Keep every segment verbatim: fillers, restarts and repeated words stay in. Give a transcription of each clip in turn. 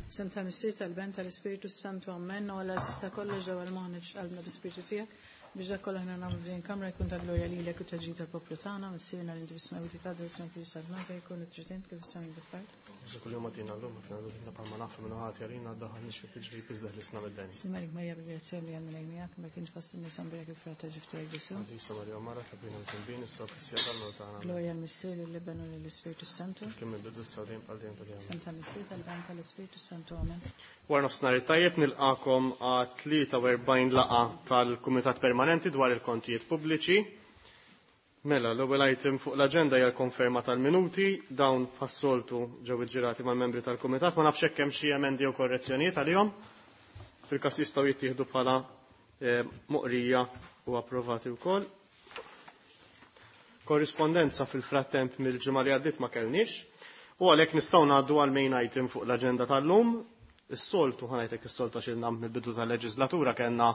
F'isem tal-Missier, tal-Iben, tal-Ispirtu Santu, Amen. U Alla tista' kollox ġewwa l-moħħna qalbna bl-Ispirtu tiegħek biex dak kollu aħna nagħmlu f'din kamra jkun ta' glorja lilek u ta' ġid tal-poplu tagħna, Missierna li inti fis-smewwiet tgħaddi ismek tiġi salvata jkun it-trid int kif is-sema fl-art. Ġesù kuljum agħtina llum aħfirna dnubietna bħalma naħfru min hu ħati għalina ddaħħalniex fit-tiġrib iżda ħlisna mid-deni. Sliem għalik Marija bil-grazzja li għal Mulej miegħek, imbierka int fost in-nisa mbierek il-frott ta' ġuf tiegħek Ġesù. Qaddisa Marija Omm Alla itlob għalina midinbin issa u fis-siegħa tal-mewt tagħna. Glorja lill-Missier, lill-Iben u lill-Ispirtu Santu. Kif kien mill-bidu issa u dejjem għal dejjem ta' dejjem. F'isem tal-Missier, tal-Iben, tal-Ispirtu Santu. Amen. Wara nofsinhar it-tajjeb nilqakom għat tlieta u erbgħin laqgħa tal-Kumitat Permanenti dwar il-Kontijiet Pubbliċi. Mela, l-ewwel item fuq l-aġenda hija l-konferma tal-minuti, dawn bħas-soltu ġew iġġirati mal-membri tal-Kumitat, ma nafx hekk hemm xi emendi jew korrezzjonijiet għalihom. Fil-każ jistgħu jittieħdu bħala eh, moqrija u approvati wkoll. Korrispondenza fil-frattemp mill-ġimgħa li għaddiet ma kellniex. U għalhekk nistgħu ngħaddu għal main item fuq l-aġenda tal-lum. Is-soltu, ħa ngħidlek is-soltu għax ilna mill-bidu tal-leġislatura kellna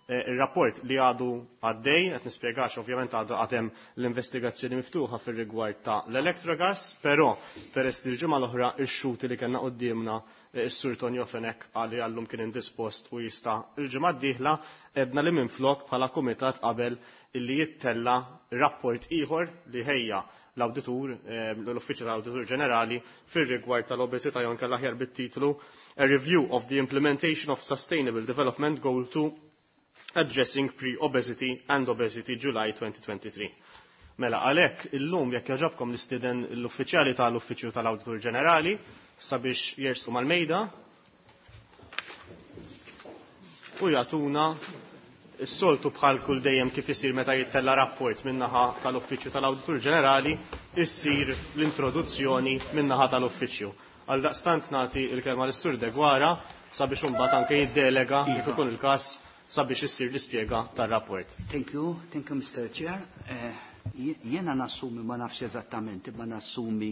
eh, ir-rapport li għadu għaddej, qed nispjegax ovvjament għadu għad hemm l-investigazzjoni miftuħa fir-rigward ta' l-Electrogas, però peress li l-ġimgħa l-oħra ix-xhud li kellna quddiemna eh, is-Sur Tonio Fenech qal li għallum kien indispost u jista' il-ġimgħa d-dieħla edna li minflok bħala kumitat qabel illi jittella rapport ieħor li ħejja l-awditur, eh, l-Uffiċċju tal-Awditur Ġenerali fir-rigward tal-obesità jew inkella aħjar bit-titlu A Review of the Implementation of Sustainable Development Goal two Addressing Pre-Obesity and Obesity July twenty twenty-three. Mela, għalhekk illum jekk jogħġobkom nistieden l-uffiċjali tal-Uffiċċju tal-Awditur Ġenerali sabiex jersqu mal-mejda u jagħtuna s-soltu bħal kull dejjem kif isir meta jittella rapport min-naħa tal-Uffiċċju tal-Awditur Ġenerali, issir l-introduzzjoni min-naħa tal-Uffiċċju. Għal daqstant nagħti l-kelma lis-Sur Deguara sabiex imbagħad anke jiddelega jekk ikun il-każ sabiex issir l-ispjega tar-rapport. Thank you, thank you, Mister Chair. Eh, jiena nassumi, ma nafx eżattament, ma nassumi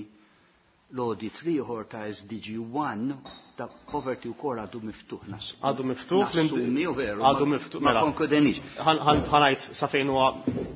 l-audit ieħor ta' S D G one ta' poverty u kor għadu miftuħ nassumi. Għadu miftuħ, Nassumi, u veru, għadu ma miftuħ, ma mela. konkludenix. Ħan, ħan, ħanajt sa fejn huwa,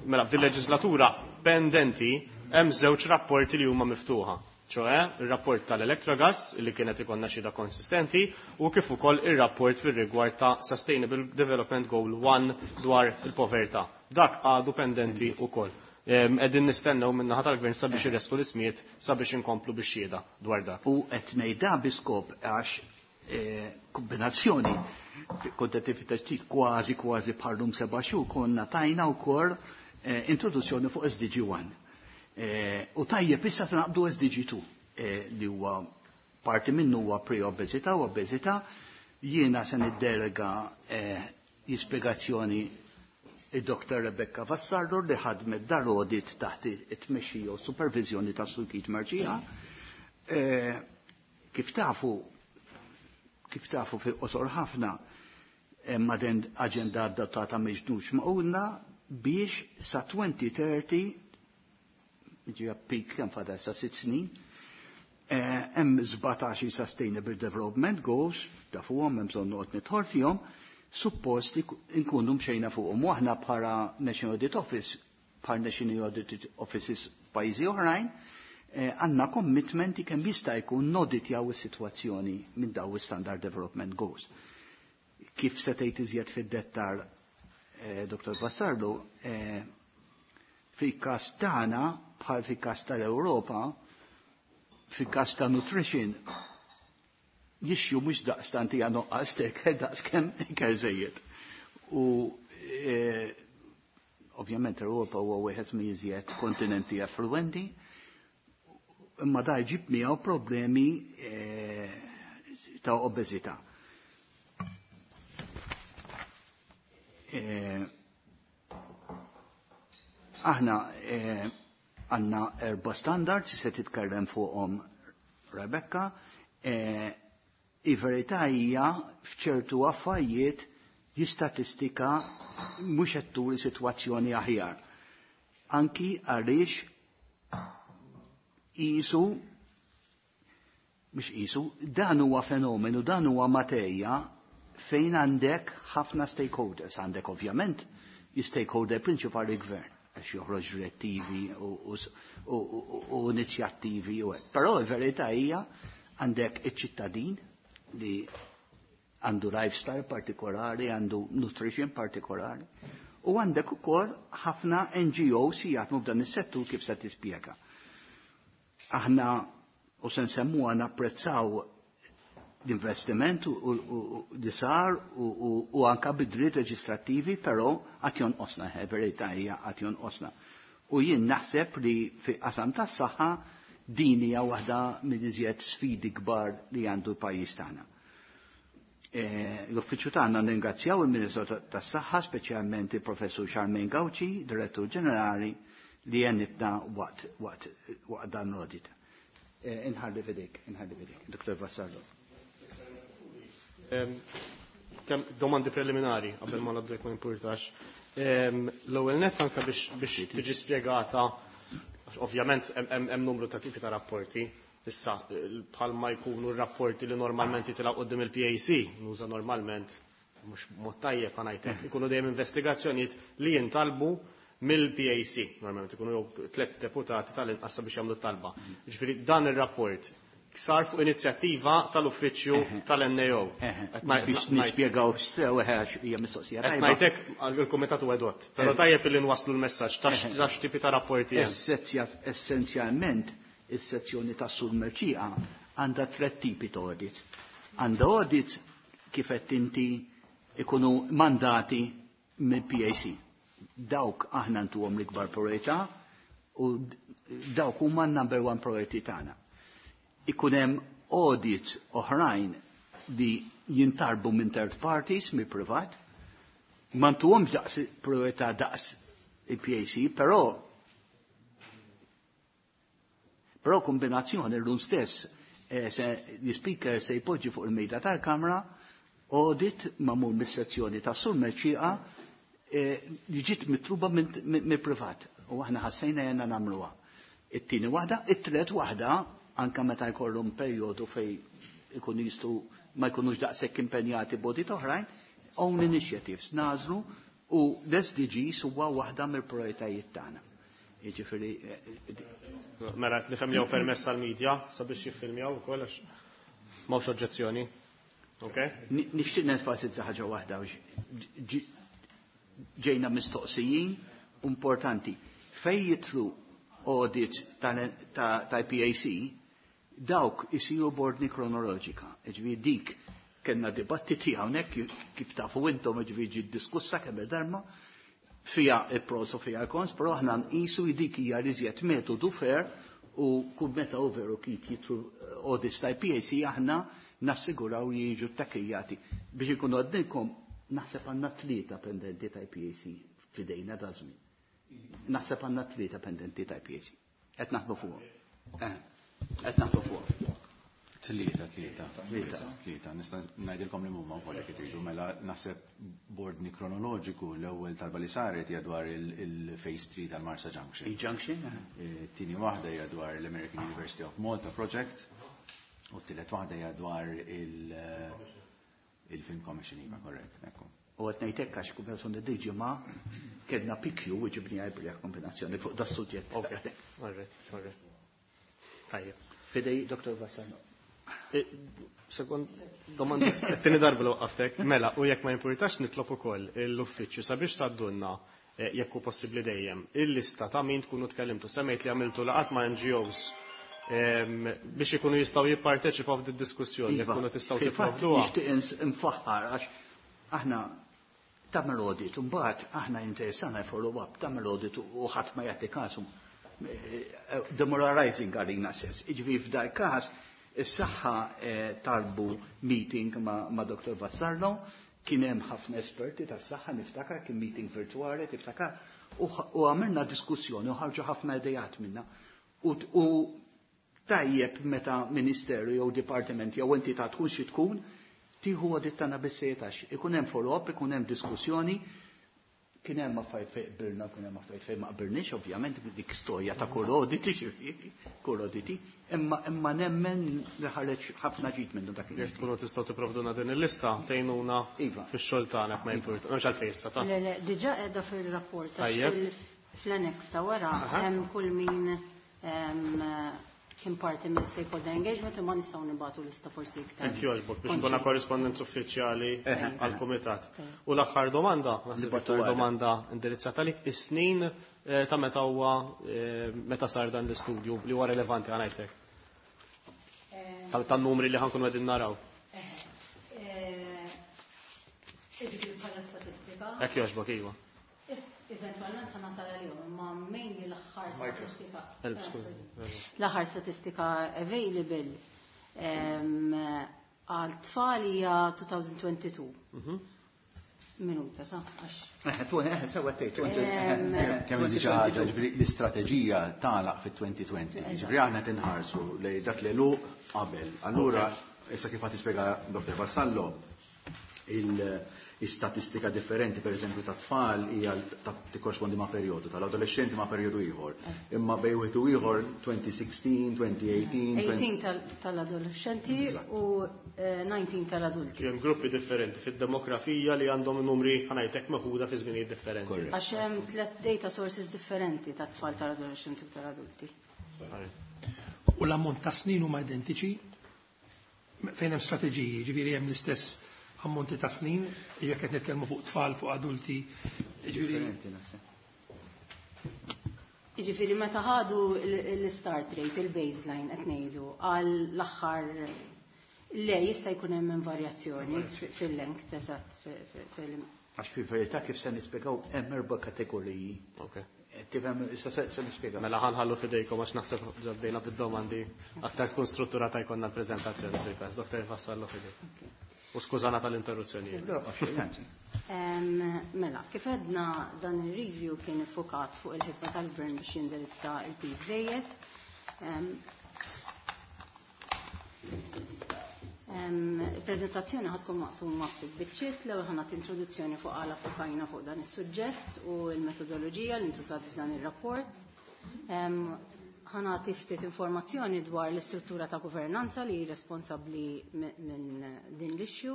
mela, fil-leġislatura pendenti hemm żewġ rapporti li huma miftuħa. ċoe, ir-rapport tal-Electrogas li kienet ikonna xhieda konsistenti u kif ukoll ir-rapport fir-rigward ta' Sustainable Development Goal one dwar il-povertà. Dak għadu pendenti ukoll. Em, qegħdin nistennew min-naħa tal-gvern sabiex irresqu l-ismijiet sabiex inkomplu bix-xhieda dwar dak. U qed ngħidha bi skop għax, eh, kombinazzjoni kontettività ġdid kważi kważi bħallum seba' xhur konna tajna wkoll, eh, introduzzjoni fuq S D G one. Eh, u tajjeb issa naqbdu S D G two, eh, li huwa parti minnu huwa pre-obeżità u obeżità. Jiena se niddelega, eh, jispjegazzjoni id-Doktor Rebecca Vassallo li ħadmet dal-audit taħt it-tmexxija u supervizjoni ta' Sur Keith Mercieca. Eh, kif tafu, kif tafu fi qosor ħafna, hemm aġenda adottata miġnux maqulna biex sa twenty thirty, ġi peak kemm fadal sa sitt snin, eh, hemm sbatax Sustainable Development Goals, tafuhom hemm bżonn noqgħod nidħol fihom, suppost nkunu mxejna fuqhom. U aħna bħala National Audit Office, bħal National Audit Offices pajjiżi oħrajn, eh, għandna commitment kemm jista' jkun noditjaw is-sitwazzjoni minn daw is-Standard Development Goals. Kif se tgħid iżjed fid-dettar, eh, Doktor Vassallo, eh, fil-każ tagħna bħal fil-każ tal-Ewropa, fil-każ ta' nutrition, jixxu mhux daqstant hija noqqas tek, daqs kemm ikel żejjed. U, eh, ovvjament l-Ewropa huwa wieħed mill-iżjed kontinenti affluenti, imma da jġib miegħu problemi, eh, ta' obeżità. Eh, aħna, eh, għandna erba' standards se titkellem fuqhom Rebecca. Eh, il-verità hija f'ċertu affarijiet l-istatistika mhux qed turi sitwazzjoni aħjar. Anki għaliex qisu mhux qisu, dan huwa fenomenu, dan huwa materja fejn għandek ħafna stakeholders. Għandek ovvjament l-stakeholder prinċipali gvern, għax joħroġ direttivi u, u, u, u, u inizjattivi u hekk. Però l-verità hija għandek iċ-ċittadin li għandu lifestyle partikolari, għandu nutrition partikolari. U għandek ukoll ħafna N G Os li jaħdmu f'dan is-settur, kif se tispjega. Aħna u se nsemmuha, napprezzaw l-investiment li sar u anka bidliet leġislattivi, però għad jonqosna, verità hija għad jonqosna. U jien naħseb li fi qasam tas-saħħa din hija waħda mill-iżjed sfidi kbar li għandu l-pajjiż tagħna. L-uffiċċju tagħna nringrazzjaw il-Ministru tas-Saħħa, speċjalment il-Professur Charmaine Gauci, Direttur Ġenerali, li għenitna waqt waqt waqt dan l-audit. Inħalli f'idejk, inħalli f'idejk, Dottor Vassallo. Domandi preliminari, qabel ma ngħaddu, ma jimpurtax. L-ewwel net, anke biex tiġi spjegata, ovvjament hemm numru ta' tipi ta' rapporti. Issa, bħalma jkunu r-rapporti li normalment jitilgħu quddiem il-P A C, nuża normalment, mhux mod tajjeb ħa ngħidlek, ikunu dejjem investigazzjonijiet li jintalbu mill-P A C. Normalment ikunu jew tliet deputati tal-inqas biex jagħmlu talba. Ġifieri dan ir-rapport sar fuq inizjattiva tal-uffiċċju tal-N A O. Biex nispjegaw sew, għax hija mistoqsija. Qed ngħidlek il-kumitat u edot. Però tajjeb li nwasslu l-messaġġ ta' x'tipi ta' rapporti hemm. Essenzjalment, is-sezzjoni ta' Sur Mercieca għandha tliet tipi ta' audit. Għandha audit, kif qed inti, ikunu mandati mill-P A C. Dawk aħna ntuhom l-ikbar priorità u dawk huma number one priority tagħna. Ikun hemm audit oħrajn li jintalbu minn third parties, mill privat, ma ntuhomx daqs priorità daqs il-P A C, però Però kombinazzjoni l-lum stess eh, se l-speaker se jpoġġi fuq il-mejda tal-kamra audit magħmul mis-sezzjoni ta' Sur Mercieca eh, li ġiet mitluba mill-privat u aħna ħassejna jenna nagħmluha. It-tieni waħda, it-tielet waħda, anka meta jkollhom perjodu fej ikunu jistgħu ma jkunux daqshekk impenjati b'audit oħrajn, own initiatives nagħżlu, u l-S D Gs huwa waħda mill-prioritajiet tagħna. Jiġifieri Mela, nifhem li permess għal-medja sabiex jiffilmjaw ukoll, għax m'hawnx oġġezzjoni. Ok? Nixtieq nenfasizza ħaġa waħda, ġejna mistoqsijin importanti. Fej jidħlu audit ta' P A C, dawk isiru b'ordni kronoloġika. Ġifieri dik kellna dibattiti hawnhekk, kif tafu intom, ġifieri ġiet diskussa kemm darba, fija il-pros u fija il-cons, però aħna nqisu dik hija l-iżjed metodu fair u kull meta u veru kif jidħlu audits ta' P A C aħna nassiguraw li jiġu takkijati. Biex ikunu għedtilkom, naħseb għandna tlieta pendenti ta' P A C f'idejna da żmien. Naħseb għandna tlieta pendenti ta' P A C. Qed naħdmu fuq. Qed naħdmu fuq. Tlieta, tlieta. Tlieta. Tlieta. Nista' ngħidilkom li huma wkoll jekk tridu. Mela, naħseb b'ordni kronoloġiku, l-ewwel talba li saret hija dwar il-Phase three tal-Marsa Junction. Il-Junction? Tieni waħda hija dwar l-American University of Malta Project u t-tielet waħda hija dwar il-Film Commission, iva, korrett, ekku. U qed ngħidlek għax kumpensazzjoni dil-ġimgħa kellna P Q u ġibni għajbri kombinazzjoni fuq da suġġett. Ok, alright, alright. Tajjeb. F'idejk, Dottor Vassallo. Sekond, domanda, t-tieni darba l waqqaftek, mela, u jekk ma jimpurtax nitlob ukoll l-uffiċċju sabiex tgħaddulna, jekk hu possibbli dejjem, il-lista ta' min tkunu tkellimtu. Semmejt li għamiltu laqgħat ma' N G Os biex ikunu jistgħu jipparteċipaw f'din diskussjoni, jekk tkunu tistgħu tipprovduha. Nixtieq nfaħħar għax aħna tagħmel audit, u mbagħad aħna interessana follow up, tagħmel audit u ħadd ma jagħti kasu. Demoralizing għalina sess. Iġifieri f'dal każ is-saħħa talbu meeting ma', ma Dottor Vassallo, kien hemm ħafna esperti tas-saħħa, niftakar kien meeting virtuali, tiftakar, u għamilna diskussjoni u ħarġu ħafna idejat minna. U tajjeb meta ministeru jew dipartiment jew entità tkun xi tkun, tieħu audit tagħna bis-sejtax. Ikun hemm follow-up, ikun hemm diskussjoni, kien hemm affarijiet fejn qbilna, kien hemm affarijiet fejn ma qbilniex, ovvjament dik storja ta' kull audit, kull auditi, imma imma nemmen li ħareġ ħafna ġid minnu dak. Jekk tkunu tistgħu tipprovduna din il-lista, tgħinuna Iva. fix-xogħol tagħna, ma jimpurta. M'hemmx għalfejn issa ta' Le, le, diġà qiegħda fil-rapport. Tajjeb. Fl-annex ta' wara hemm kull min em, kien parti minn stakeholder engagement imma nistgħu nibagħtu lista forsi iktar. Thank you għalbok biex ikuna korrispondenza uffiċjali għall-kumitat. U l-aħħar domanda, naħseb iktar domanda indirizzata għalik, is-snin ta' meta huwa meta sar dan l-istudju li huwa relevanti għanajtek. Tan-numri li ħankunu qegħdin naraw. Jiġifieri bħala statistika. Hekk jogħġbok, iva. Eventualment ħa nasal għalihom, imma mainly l-aħħar statistika. L-aħħar statistika available għal tfal hija twenty twenty-two. Minuta, ta' għax. Sewa tgħid. Kemm inżid xi ħaġa, ġifieri l-istrateġija tagħlaq fit-twenty twenty. Ġifieri aħna tinħarsu lejn dak li lu qabel. Allura, issa kif qed tispjega Doctor Vassallo, il-istatistika differenti, per eżempju, ta' tfal hija tikkorrispondi ma' perjodu, tal-adolescenti ma' perjodu ieħor. Imma bejn wieħed u ieħor twenty sixteen, twenty eighteen. eighteen tal-adolescenti u nineteen tal-adulti. Hemm gruppi differenti fid-demografija li għandhom numri, ħa ngħidlek, meħuda fi żminijiet differenti. Għax hemm tliet data sources differenti ta' tfal, tal-adolescenti u tal-adulti. U l-ammont ta' snin huma identiċi fejn hemm strateġiji, ġifieri hemm l-istess ammonti ta' snin, jekk qed nitkellmu fuq tfal, fuq adulti, ġifieri. Ġifieri meta ħadu l-start rate, il-baseline qed ngħidu għal l-aħħar, le, jista' jkun hemm varjazzjoni fil-length, eżatt, fil Għax fil-verità, kif se nispjegaw, hemm erba' kategoriji. Tifhem, issa se nispjegaw. Mela ħa nħallu f'idejkom għax naħseb ġabdejna bid-domandi aktar tkun strutturata jkollna l-preżentazzjoni fil-każ. Doktor Vassallo, f'idejk. U skużana tal-interruzzjonijiet. Mela, kif għedna, dan il-review kien iffukat fuq il-ħidma tal-gvern biex jindirizza il-piż żejjed. Il-prezentazzjoni ħa tkun maqsuma f'sitt biċċiet. L-ewwel ħa nagħti introduzzjoni fuq għala ffukajna fuq dan is-suġġett u l-metodoloġija li ntużat f'dan ir-rapport. Ħa nagħti ftit informazzjoni dwar l-istruttura ta' governanza li responsabbli minn din l-issue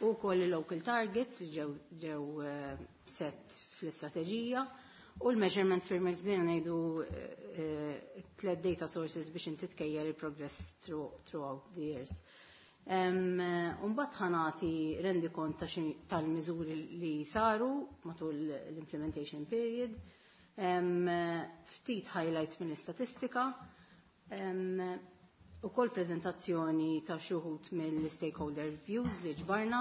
u wkoll il-local targets li ġew ġew eh, set fl-istrateġija u l-measurement frameworks, bina ngħidu eh, tliet data sources biex inti tkejjel il-progress throughout the years. Umbagħad ħa nagħti rendikont tal-miżuri li saru matul l-implementation period, ftit highlights mill-istatistika, u kol prezentazzjoni ta' xi wħud mill-stakeholder views li ġbarna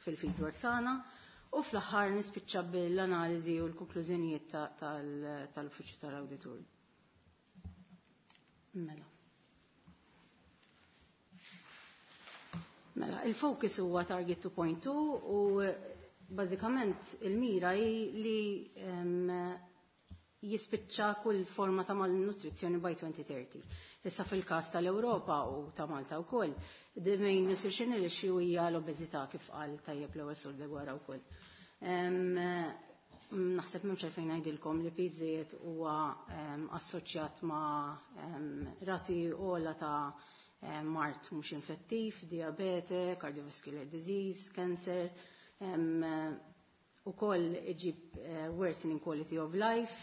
fil-fieldwork tagħna, u fl-aħħar nispiċċa bil-analiżi u l-konklużjonijiet tal-Uffiċċju tal-Awditur. Mela. Mela, il-focus huwa target two point two u bażikament il-mira hi li um, jispiċċa kull forma ta' malnutrizzjoni by twenty thirty. Issa fil-każ tal-Ewropa u ta' Malta wkoll, the main nutritional issue hija l-obeżità, kif qal tajjeb l-ewwel Sur Degwara wkoll. Naħseb m'hemmx għalfejn ngħidilkom li piż huwa assoċjat ma' rati ogħla ta' mard mhux infettiv, diabete, cardiovascular disease, cancer, u koll iġib uh, worsening quality of life,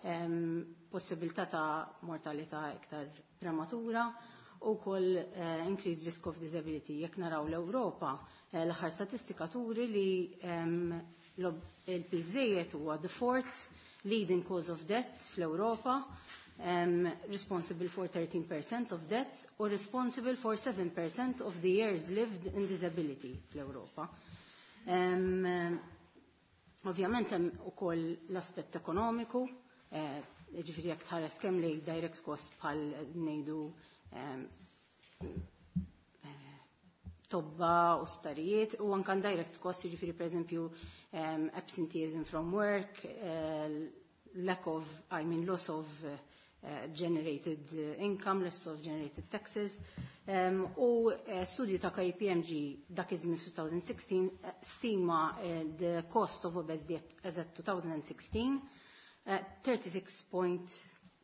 um, possibilità ta' mortalità iktar prematura u koll uh, increased risk of disability. Jekk naraw l-Ewropa, uh, l-aħħar statistika turi li um, il-piż żejjed huwa the fourth leading cause of death fl-Ewropa, um, responsible for thirteen percent of deaths or responsible for seven percent of the years lived in disability fl-Ewropa. Um, ovvjament hemm ukoll l-aspett ekonomiku, eh, ġifieri jekk tħares kemm li direct cost bħal ngħidu eh, tobba u sptarijiet u anke direct cost, jiġifieri pereżempju um, absenteeism from work, uh, lack of, I mean, loss of uh, generated income, loss of generated taxes. Um, u uh, studju ta' K P M G dak iż-żmien twenty sixteen stima uh, the cost of obesity as at twenty sixteen uh, thirty-six point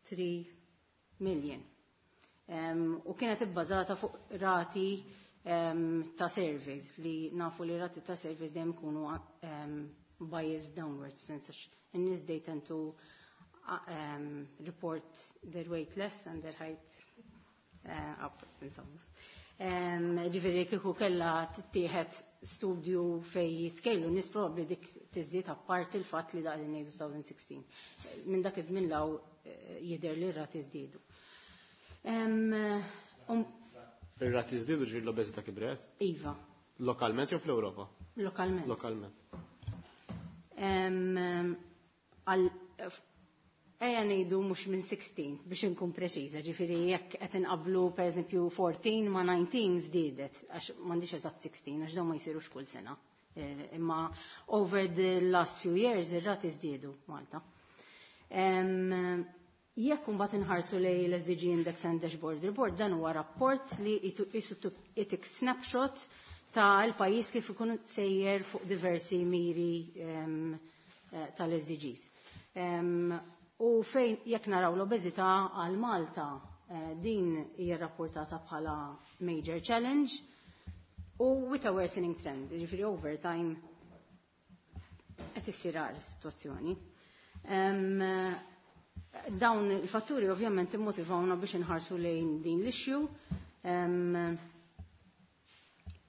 three million. Um, u kienet ibbażata fuq rati um, ta' surveys, li nafu li rati ta' surveys dejjem ikunu um, biased downwards, sens in-nies they tend to um, report their weight less and their height uh, up, insomma. Um, ġifieri kieku kellha tittieħed studju fej jitkejlu nies probabbli dik tiżdied apparti il-fatt li daqli ngħidu elfejn u sittax. Minn dak iż-żmien law jidher li r-rati żdiedu. Um, um, Ir-rati żdiedu, ġifieri l-obeżità kibret? Iva. Lokalment jew fl-Ewropa? Lokalment. Lokalment. Um, għal Ejja ngħidu mhux minn sittax biex inkun preċiża, ġifieri jekk qed inqablu pereżempju erbatax ma' dsatax żdiedet, għax m'għandix eżatt sittax għax dawn ma jsirux kull sena. Eh, imma over the last few years ir-rati żdiedu Malta. Jekk imbagħad inħarsu lejn l-S D G Index and Dashboard Report, dan huwa rapport li itik snapshot ta' l-pajjiż kif ikun sejjer fuq diversi miri eh, tal-S D Gs. U fejn jekk naraw l-obeżità għal Malta, eh, din hija rapportata bħala major challenge u with a worsening trend, ġifieri over time qed issir is-sitwazzjoni. Dawn il-fatturi ovvjament immotivawna biex inħarsu lejn din l-issue.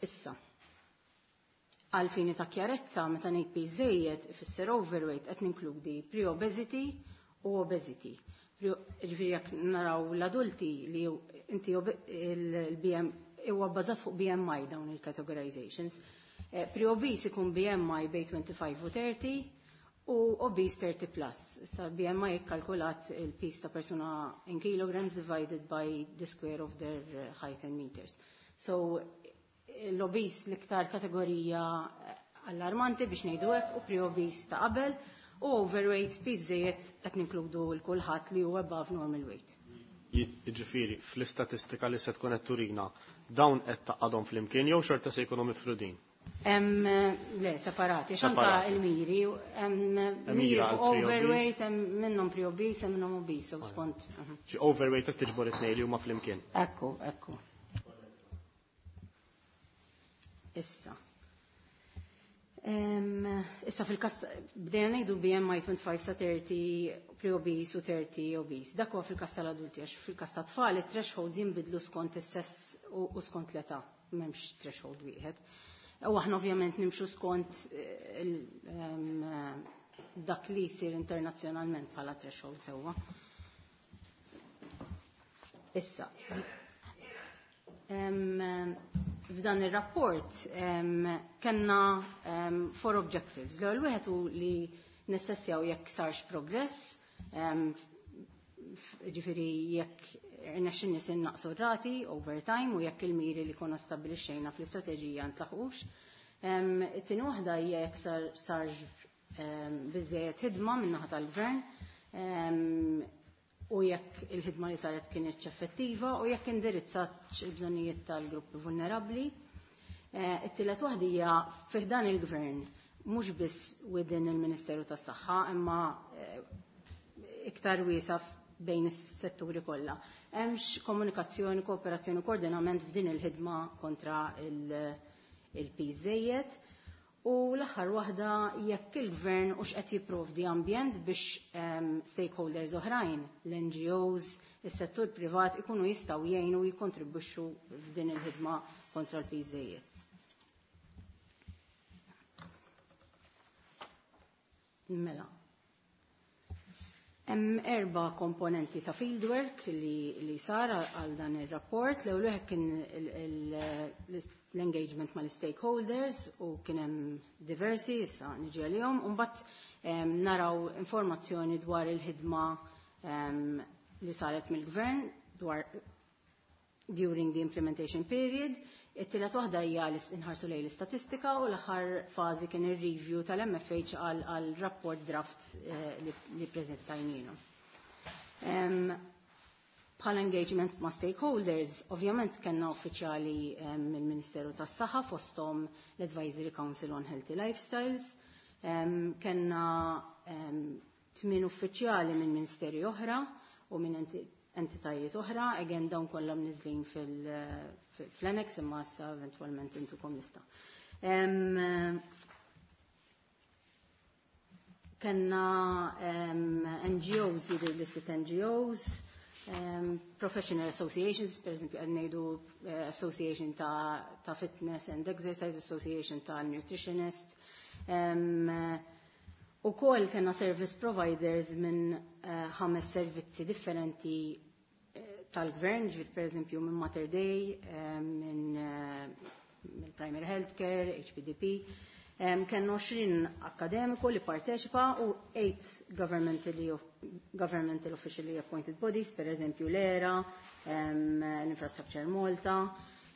Issa, għal fini ta' kjarezza, meta ngħid piż żejjed ifisser overweight, qed ninkludi pre-obesity u obesity. Ġifieri jekk naraw l-adulti li inti il-B M huwa bbażat fuq B M I dawn il-categorizations. Eh, pre-obese ikun B M I bejn twenty-five u thirty u obese thirty plus. Issa B M I ikkalkulat il-piż ta' persuna in kilograms divided by the square of their eh, height in meters. So l-obese l-iktar kategorija eh, allarmanti biex ngħidu hekk u pre-obese ta' qabel u overweight, piż żejjed, qed ninkludu l kulħadd li huwa above normal weight. Jiġifieri fl-istatistika li se tkun qed turina dawn qed taqadhom flimkien jew xorta se jkunu mifrudin? Hemm, le, separati, xanka il-miri, hemm miri overweight, hemm minnhom pre-obese, hemm minnhom obese, u skont. Xi overweight qed tiġbor it-tnejn li huma flimkien. Ekku, ekku. Issa. Issa fil-kas, bdejna ngħidu B M I twenty-five sa thirty pre-obese u thirty obese. Dak huwa fil-kas tal-adulti, għax fil-kas ta' tfal it-thresholds jinbidlu skont is-sess u skont l-età, m'hemmx threshold wieħed. U aħna ovvjament nimxu skont eh, dak li jsir internazzjonalment bħala threshold sewwa. Issa, f'dan ir-rapport kellna four objectives. L-ewwel wieħed hu li nistessjaw jekk sarx progress, ġifieri jekk irnexxinni se naqsu rati over time u jekk il-miri li konna stabbilixxejna fl-istrateġija ntlaħqux. It-tieni waħda hija jekk sarx biżejjed ħidma min-naħa tal-gvern u jekk il-ħidma li saret kienet effettiva u jekk indirizzat il-bżonnijiet tal-gruppi vulnerabbli. Eh, it-tielet waħda hija fih dan il-gvern, mhux biss within il-Ministeru tas-Saħħa, imma eh, iktar wiesa bejn is-setturi kollha. Hemmx komunikazzjoni, kooperazzjoni u koordinament f'din il-ħidma kontra il-piż żejjed. U l-aħħar waħda jekk il-gvern u x'qed jipprovdi ambjent biex um, stakeholders oħrajn, l-N G Os, is-settur privat ikunu jistgħu jgħinu u jikkontribwixxu f'din il-ħidma kontra l-piż żejjed. Mela. Hemm erba' komponenti ta' fieldwork li, li sar għal dan ir-rapport. L-ewwel wieħed kien l-engagement mal-stakeholders u kien hemm diversi, issa niġi għalihom, u mbagħad naraw informazzjoni dwar il-ħidma li saret mill-gvern dwar during the implementation period. It-tielet waħda hija li nħarsu lejn l-istatistika u l-aħħar fażi kien ir-review tal-M F H għal rapport draft eh, li, li preżentajnielu. Bħala engagement ma' stakeholders, ovvjament kellna uffiċjali mill-Ministeru tas-Saħħa, fosthom l-Advisory Council on Healthy Lifestyles, kellna tmien uffiċjali minn ministeri oħra u minn entitajiet oħra, again dawn kollha mniżlin fil-annex imma issa eventwalment intukom lista. Kellna N G Os, jidher li sitt N G Os, um, professional associations, per esempio, qed ngħidu uh, association ta', ta' fitness and exercise, association ta' nutritionist. Um, u kol kellna service providers minn uh, ħames servizzi differenti uh, tal-gvern, ġifieri per eżempju minn Mater Dei, uh, minn uh, minn Primary Healthcare, H P D P. Um, Kellna għoxrin akademiku li parteċipa u eight governmentally, governmental officially appointed bodies, per eżempju l-E R A, um, l-Infrastructure Malta,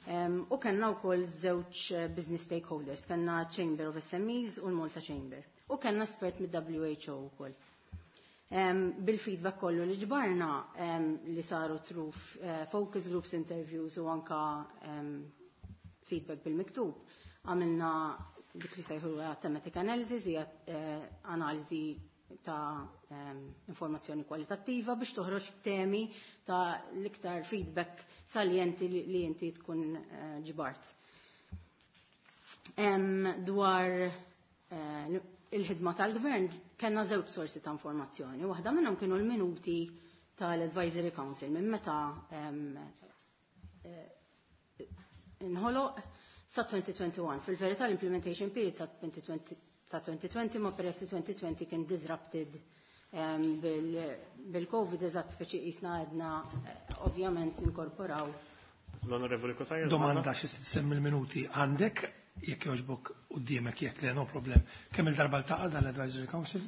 um, u kellna wkoll żewġ business stakeholders, kellna Chamber of S M Es u l-Malta Chamber. U kellna espert mid-W H O wkoll. Um, bil-feedback kollu li ġbarna um, li saru through uh, focus groups, interviews u anka um, feedback bil-miktub, għamilna dik li sejħu thematic analysis, hija eh, analiżi ta' um, informazzjoni kwalitattiva biex toħroġ temi ta' l-iktar feedback salienti li, li inti tkun uh, ġbart. Um, dwar uh, il-ħidma tal-gvern kellna żewġ sorsi ta' informazzjoni. Waħda minnhom kienu l-minuti tal-Advisory Council minn meta um, uh, inħoloq sa elfejn u wieħed u għoxrin. Fil-verità l-implementation period sa elfejn u għoxrin, sa elfejn u għoxrin, ma peress li elfejn u għoxrin kien disrupted um, bil-Covid bil eżatt, speċi jisna għedna eh, ovvjament ninkorporaw. L-Onorevoli Cutajar. Domanda xi semmi l-minuti għandek, jekk jogħġbok quddiemek, jekk le, no problem. Kemm il-darba ltaqa' dan l-Advisory Council?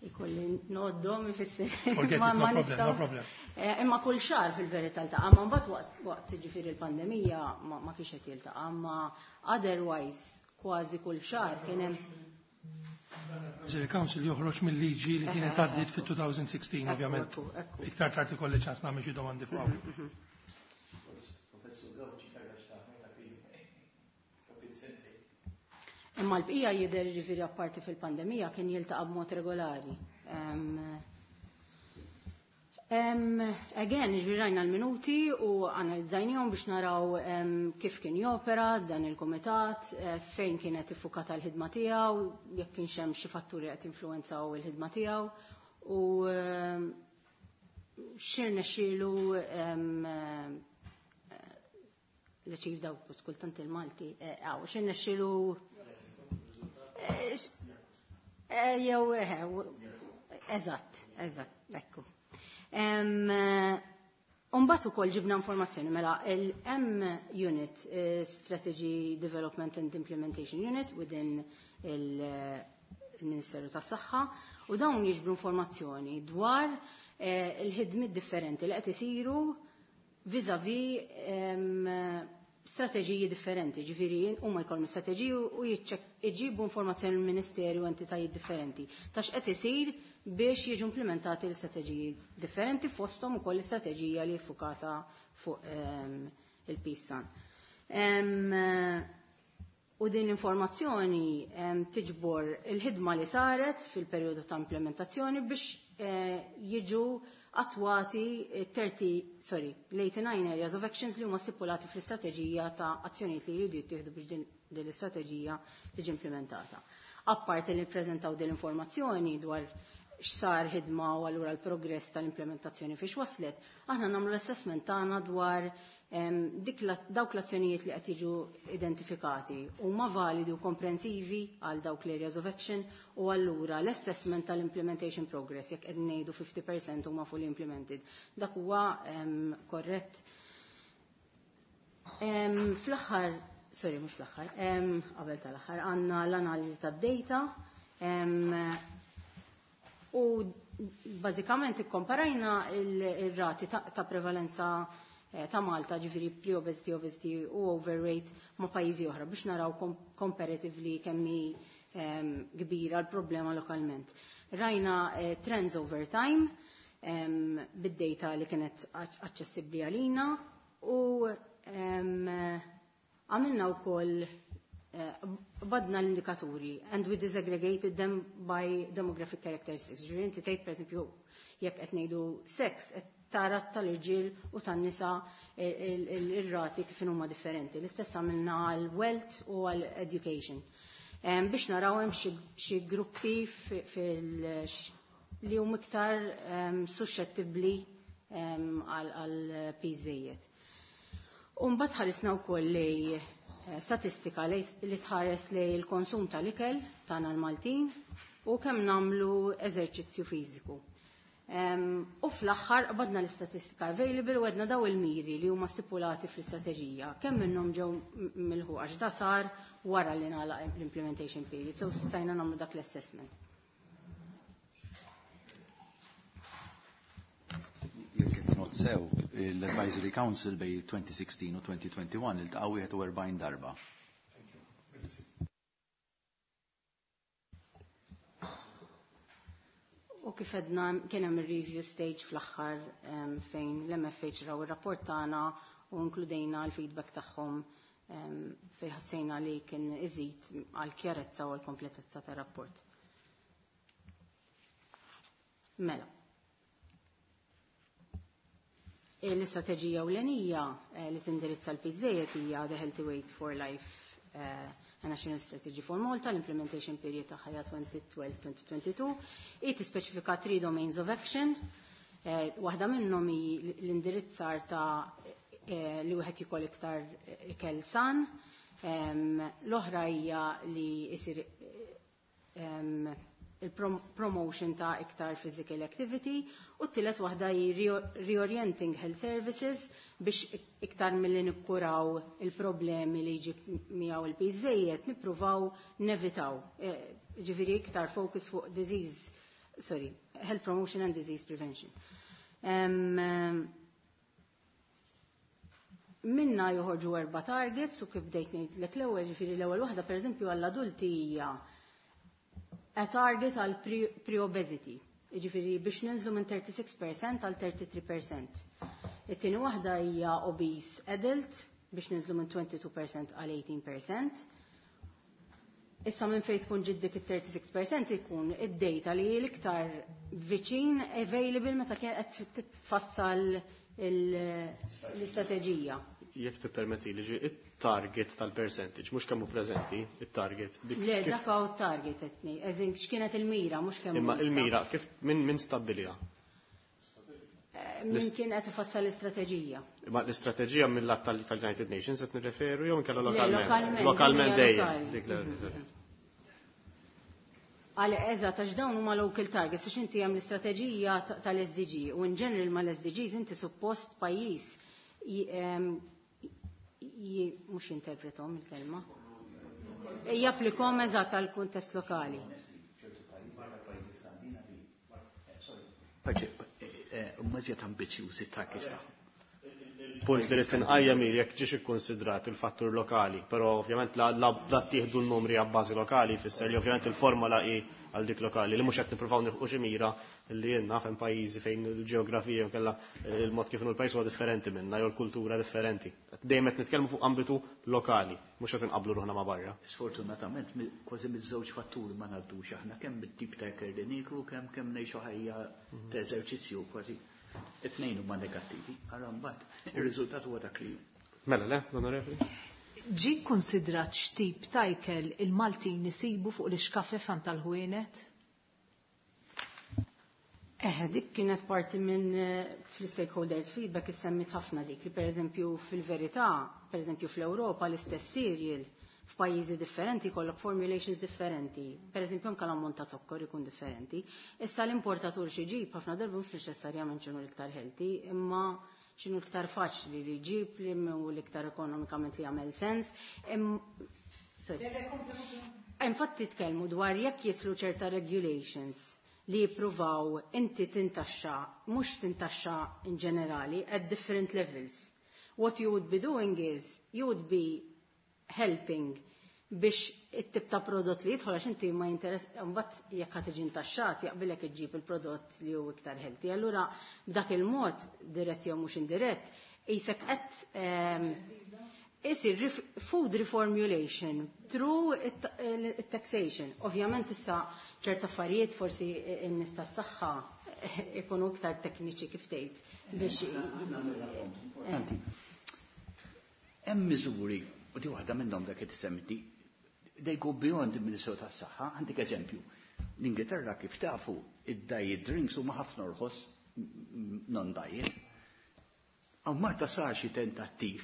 Ikolli noddhom ifisser. Forget it, no problem, no problem. Eh, imma kull xahar fil-verità ltaqa', ma mbagħad waqt waqt ġifieri l-pandemija ma, ma kienx qed jiltaqa', ma otherwise kważi kull xahar kien hemm. Advisory Council joħroġ mill-liġi li kienet għaddiet fit-elfejn u sittax, ovvjament. Ekku, ekku. Iktar tard ikolli ċans nagħmel xi domandi fuq hawn. Professur Gauci kellha x'taħmet ta' fi sentejn. Imma l-bqija jidher ġifieri apparti fil-pandemija kien jiltaqa' b'mod regolari. Um, um, again, ġifieri rajna l-minuti u analizzajnihom biex naraw um, kif kien jopera dan il-komitat, eh, fejn kienet iffukata l-ħidma tiegħu, jekk kienx hemm xi fatturi qed influenzaw il-ħidma tiegħu u um, x'irnexxielu um, l-ċif daw kultant il-Malti, għaw, x'irnexxielu jew eżatt, eżatt, ekku. Umbagħad ukoll ġibna informazzjoni mela il-M Unit, Strategy Development and Implementation Unit within il-Ministeru tas-Saħħa, u dawn jiġbru informazzjoni dwar il-ħidmiet differenti li qed isiru vis-a-vis strateġiji differenti, ġifieri huma jkollhom strateġiji u jġibu informazzjoni mill-Ministeru u entitajiet differenti ta' x'qed isir biex jiġu implementati l-istrateġiji differenti, fosthom ukoll l-istrateġija li ffukata fuq il-PEACE. U din l-informazzjoni tiġbor il-ħidma li saret fil-perjodu ta' implementazzjoni biex jiġu attwati thirty, sorry, l-eighty-nine areas of actions li huma stipulati fl-istrateġija ta' azzjonijiet li jridu jittieħdu biex din l-istrateġija tiġi implementata. Apparti li ppreżentaw din l-informazzjoni dwar x'sar ħidma u allura l-progress tal-implementazzjoni fiex waslet, aħna nagħmlu l-assessment tagħna dwar dik dawk l-azzjonijiet li qed jiġu identifikati huma validi u komprensivi għal dawk l-areas of action, u allura l-assessment tal-implementation progress, jekk qed ngħidu fifty percent huma fully implemented, dak huwa korrett. Fl-aħħar, sorry, mhux fl-aħħar, qabel tal-aħħar, għandna l-analiżi tad-data u bażikament ikkomparajna il-rati ta' prevalenza ta' Malta, ġifieri pre-obesity, obesity u overweight, ma' pajjiżi oħra biex naraw comparatively kemm hi kbira l-problema lokalment. Rajna trends over time bid-data li kienet aċċessibbli għalina u għamilna wkoll badna l-indikaturi and we disaggregated them by demographic characteristics. Ġifieri inti tgħid, pereżempju, jekk qed ngħidu sex, qed tara tal-irġiel u tan-nisa ir-rati kif huma differenti. L-istess għamilna għal wealth u għal education. Biex naraw hemm xi gruppi li huma iktar suscettibbli għal piż żejjed. U mbagħad ħarisna wkoll li statistika li tħares li l-konsum tal-ikel tagħna l-Maltin u kemm nagħmlu eżerċizzju fiżiku. U fl-aħħar qbadna l-istatistika available u għedna daw il-miri li huma stipulati fl-istrateġija. Kemm minnhom ġew milħuqa għax da sar wara li nagħlaq l-implementation period, so stajna nagħmlu dak l-assessment. Jekk qed not sew, l-Advisory Council bej twenty sixteen u twenty twenty-one iltaqgħu wieħed u erbgħin darba. U kif għedna kien hemm ir-review stage fl-aħħar fejn l-M F H raw ir-rapport tagħna u inkludejna l-feedback tagħhom fejn ħassejna li kien iżid għal kjarezza u għal kompletezza tar-rapport. Mela. L-istrateġija ewlenija li tindirizza l-piż żejjed hija The Healthy Weight for Life a National Strategy for Malta, l-implementation period tagħha hija twenty twelve twenty twenty-two. Hi tispeċifika three domains of action. Waħda minnhom hi l-indirizzar ta' li wieħed jikol iktar ikel san. L-oħra hija li jsir il-promotion ta' iktar physical activity u t-tielet waħda hi reorienting health services biex iktar milli nikkuraw il-problemi li jġib miegħu il-piż żejjed nippruvaw nevitaw. Ġifieri iktar focus fuq disease, sorry, health promotion and disease prevention. Minna joħorġu erba' targets u kif bdejt ngħidlek l-ewwel, ġifieri l-ewwel waħda pereżempju għall-adulti hija a target għal pre-obesity, jiġifieri biex ninżlu minn thirty-six percent għal thirty-three percent. It-tieni waħda hija obese adult biex ninżlu minn twenty-two percent għal eighteen percent. Issa minn fejn tkun ġid dik it-thirty-six percent ikun id-data li hi l-iktar viċin available meta kien qed titfassal l-istrateġija. Jekk tippermetti li ġi it-target tal-percentage, mhux kemm hu preżenti, it-target. Dik Le, kif dak hawn target qed ngħid, eżin x'kienet il-mira, mhux kemm Imma hu issa. il-mira kif min, min stabbilha? Eh, min kien qed ifassal l-istrateġija. Imma l-istrateġija mill-att tal-, tal-United Nations qed nirreferu jew inkella Le, lokalment? lokalment, Lokalment hija dejjem, lokali. dik l-Mhm. ewwel. Għal eżatt, għax dawn huma local targets, għax inti hemm l-istrateġija ta-, tal-S D G u in general mal-S D Gs inti suppost pajjiż ji-, em, ji-, mhux jinterpretom il-kelma. Japplikom eżatt għal kuntest lokali. Mażjed ambizzjużi targets tagħhom. Punt li rrid inqajjem hi jekk ġiex ikkunsidrat il-fattur lokali, però ovvjament la, la, la tieħdu n-numri għabbażi lokali jfisser li ovvjament il-formola hi għal dik lokali li mhux qed nippruvaw nilħqu xi mira li jien naf hemm pajjiżi fejn il-ġeografija jew kellha il-mod kif inhu l-pajjiż huwa differenti minna jew l-kultura differenti. Dejjem qed nitkellmu fuq ambitu lokali, mhux qed inqablu ruħna ma' barra. Sfortunatament mi-, kważi miż-żewġ fatturi ma ngħaddux aħna kemm bit-tip ta' ikel li nieklu, kemm, kemm ngħixu ħajja ta' eżerċizzju kważi. It-tnejn huma negattivi, allura mbagħad ir-riżultat huwa dak li hu. Mela le, l-onorevoli? Ġi konsidrat x'tip ta' ikel il-Maltin isibu fuq l-ixkafef għand tal-ħwienet? Eh, dik kienet parti minn, eh, fl-stakeholder feedback issemmit ħafna dik li pereżempju fil-verità, pereżempju fl-Ewropa l-istess cereal f'pajjiżi differenti jkollok formulations differenti. Pereżempju anke l-ammont ta' zokkor ikun differenti. Issa l-importatur xi jġib ħafna darba mhux neċessarjament x'inhu l-iktar healthy, imma x'inhu l-iktar faċli li jġib li hu l-iktar ekonomikament li jagħmel sens. Im-, sorry. Infatti tkellmu dwar jekk jitlu ċerta regulations li jippruvaw inti tintaxxa, mhux tintaxxa in ġenerali, at different levels. What you would be doing is, you would be helping biex it-tip ta' prodott li jidħol għax inti ma jinteress, mbagħad jekk ħa tiġi intaxxat jaqbilek iġġib il-prodott li hu iktar healthy. Allura b'dak il-mod dirett jew mhux indirett, qisek qed, ehm, isir ref-, food reformulation through it-taxation. Ovvjament issa ċerta affarijiet forsi n-nies tas-saħħa ikunu iktar tekniċi kif tgħid biex Importanti. Hemm miżuri, u di waħda minnhom dak qed isemmiti, They go beyond il-Ministeru tas-Saħħa. Għandik eżempju, l-Ingilterra, kif tafu, id-diet drinks huma ħafna orħos non-diet. Hawn Malta sar xi tentattiv,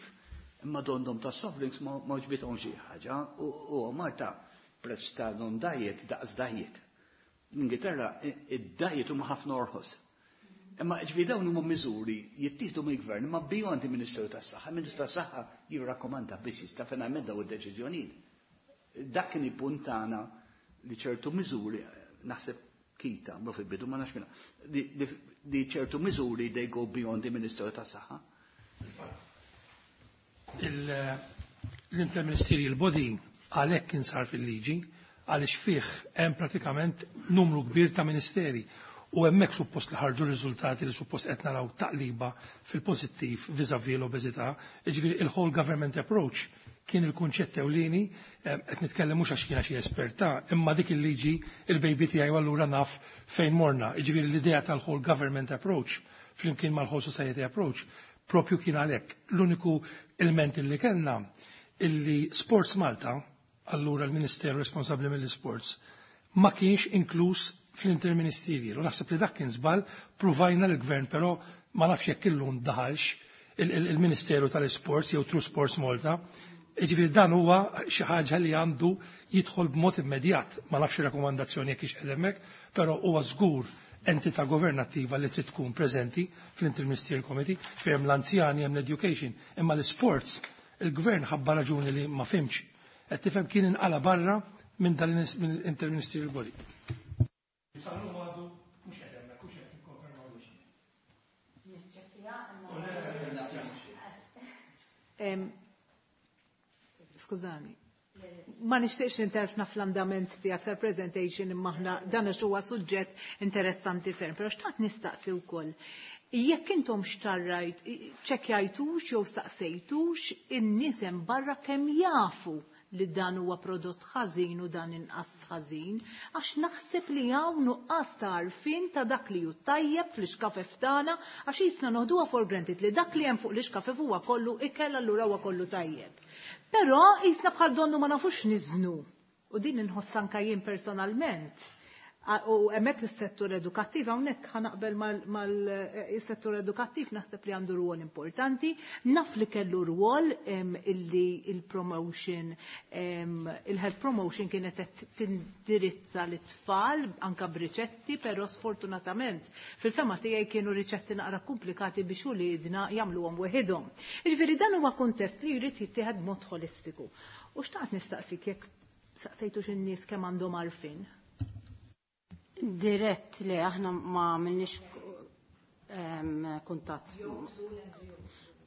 imma donnhom ta' soft drinks ma għoġbithom xi ħaġa u Malta prezz ta' non-diet daqs diet. L-Ingilterra id-diet huma ħafna orħos. Imma ġifieri dawn huma miżuri jittieħdu mill-gvern imma beyond il-Ministeru tas-Saħħa. Il-Ministeru tas-Saħħa jirrakkomanda biss, jista' finalment daw id-deċiżjonijiet. Dak kien il-punt tagħna li ċertu miżuri, naħseb kita, ma fil-bidu ma nafx minna, li ċertu miżuri they go beyond il-Ministeru tas-Saħħa. L-interministerial body għalhekk kien sar fil-liġi, għaliex fih hemm pratikament numru kbir ta' ministeri u hemmhekk suppost li ħarġu riżultati li suppost qed naraw taqliba fil-pożittiv vis-à-vis l-obeżità. Jiġifieri il-whole government approach kien il-kunċett ewlieni. Qed nitkellem mhux għax jiena xi esperta, imma dik il-liġi il-baby tiegħi, allura naf fejn morna. Jiġifieri l-idea tal-whole government approach flimkien mal-whole society approach propju kien għalhekk. L-uniku element li kellna illi Sports Malta, allura l-Ministeru responsabbli mill-sports, ma kienx inkluż fl-interministerial. U naħseb li dak kien żball, pruvajna l-gvern, però ma nafx jekk illum daħalx il-Ministeru tal-Sports jew through Sports Malta. Ġifieri dan huwa xi ħaġa li għandu jidħol b'mod immedjat. Ma nafx rakkomandazzjoni jekk hix hemmhekk, però huwa żgur entità governattiva li trid tkun preżenti fl-Interministerial Committee, fejn l-anzjani, hemm l-education, imma l-sports, il-gvern ħabba raġuni li ma fhimx. Qed tifhem, kien inqala barra minn dan l-Interministerial Body. Sal-lum għadu mhux qed hemmhekk, mhux qed nikkonfermaw. Niċċekkja. Em, Skużani. Ma nixtieqx ninterfna fl-andament tiegħek tal-presentation, imma aħna dan għax huwa suġġett interessanti ferm, però xtaqt nistaqsi wkoll. Jekk intom xtarrajt, ċekkjajtux jew staqsejtux in-nies hemm barra kemm jafu li dan huwa prodott ħażin u dan inqas ħażin, għax naħseb li hawn nuqqas ta' għarfien ta' dak li hu tajjeb fl-iskafef tagħna, għax jisna noħduha for granted li dak li hemm fuq l-iskafef huwa kollu ikel, allura huwa kollu tajjeb. Però jisna bħal donnu ma nafux niżnu. U din inħoss anka jien personalment. A- U hemmhekk is-settur edukattiv, hawnhekk ħa naqbel mal-settur edukattiv, naħseb li għandu rwol importanti. Naf li kellu rwol em, illi il-promotion, em, il-health promotion kienet qed tindirizza l-tfal anka b'riċetti, però sfortunatament fil-fehma tiegħi kienu riċetti naqra komplikati biex uliedna jagħmluhom weħidhom. Jiġifieri dan huwa kuntest li jrid jittieħed b'mod holistiku. U xtaqt nistaqsik jekk saqsejtux in-nies kemm għandhom għarfien. Dirett li aħna ma għamilniex em, kuntatt.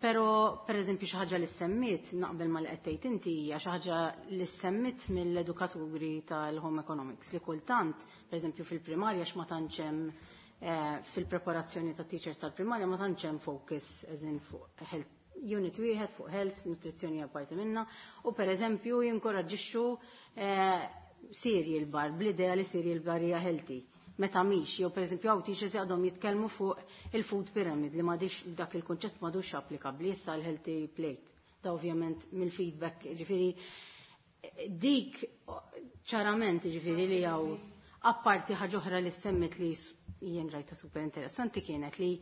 Pero, per eżempju, xi ħaġa li semmit, naqbel ma li qed tgħid inti, hija xi ħaġa li semmit mill-edukaturi tal-home economics li kultant, per eżempju, fil-primarja x'ma tantx hemm eh, fil-preparazzjoni ta' teachers tal-primarja ma tantx hemm focus as in fuq health unit wieħed fuq health, nutrizzjoni hija parti minna, u per eżempju jinkoraġġixxu eh, cereal bar, bl-idea li cereal bar hija healthy. Meta mhix, jew pereżempju hawn teachers għadhom jitkellmu fuq il-food pyramid li m'għadix, dak il-kunċett m'għadux applikabbli issa, l-healthy plate. Da ovvjament mill-feedback, ġifieri dik ċarament ġifieri li hawn. Apparti ħaġa oħra li semmit li jien rajta super interessanti kienet li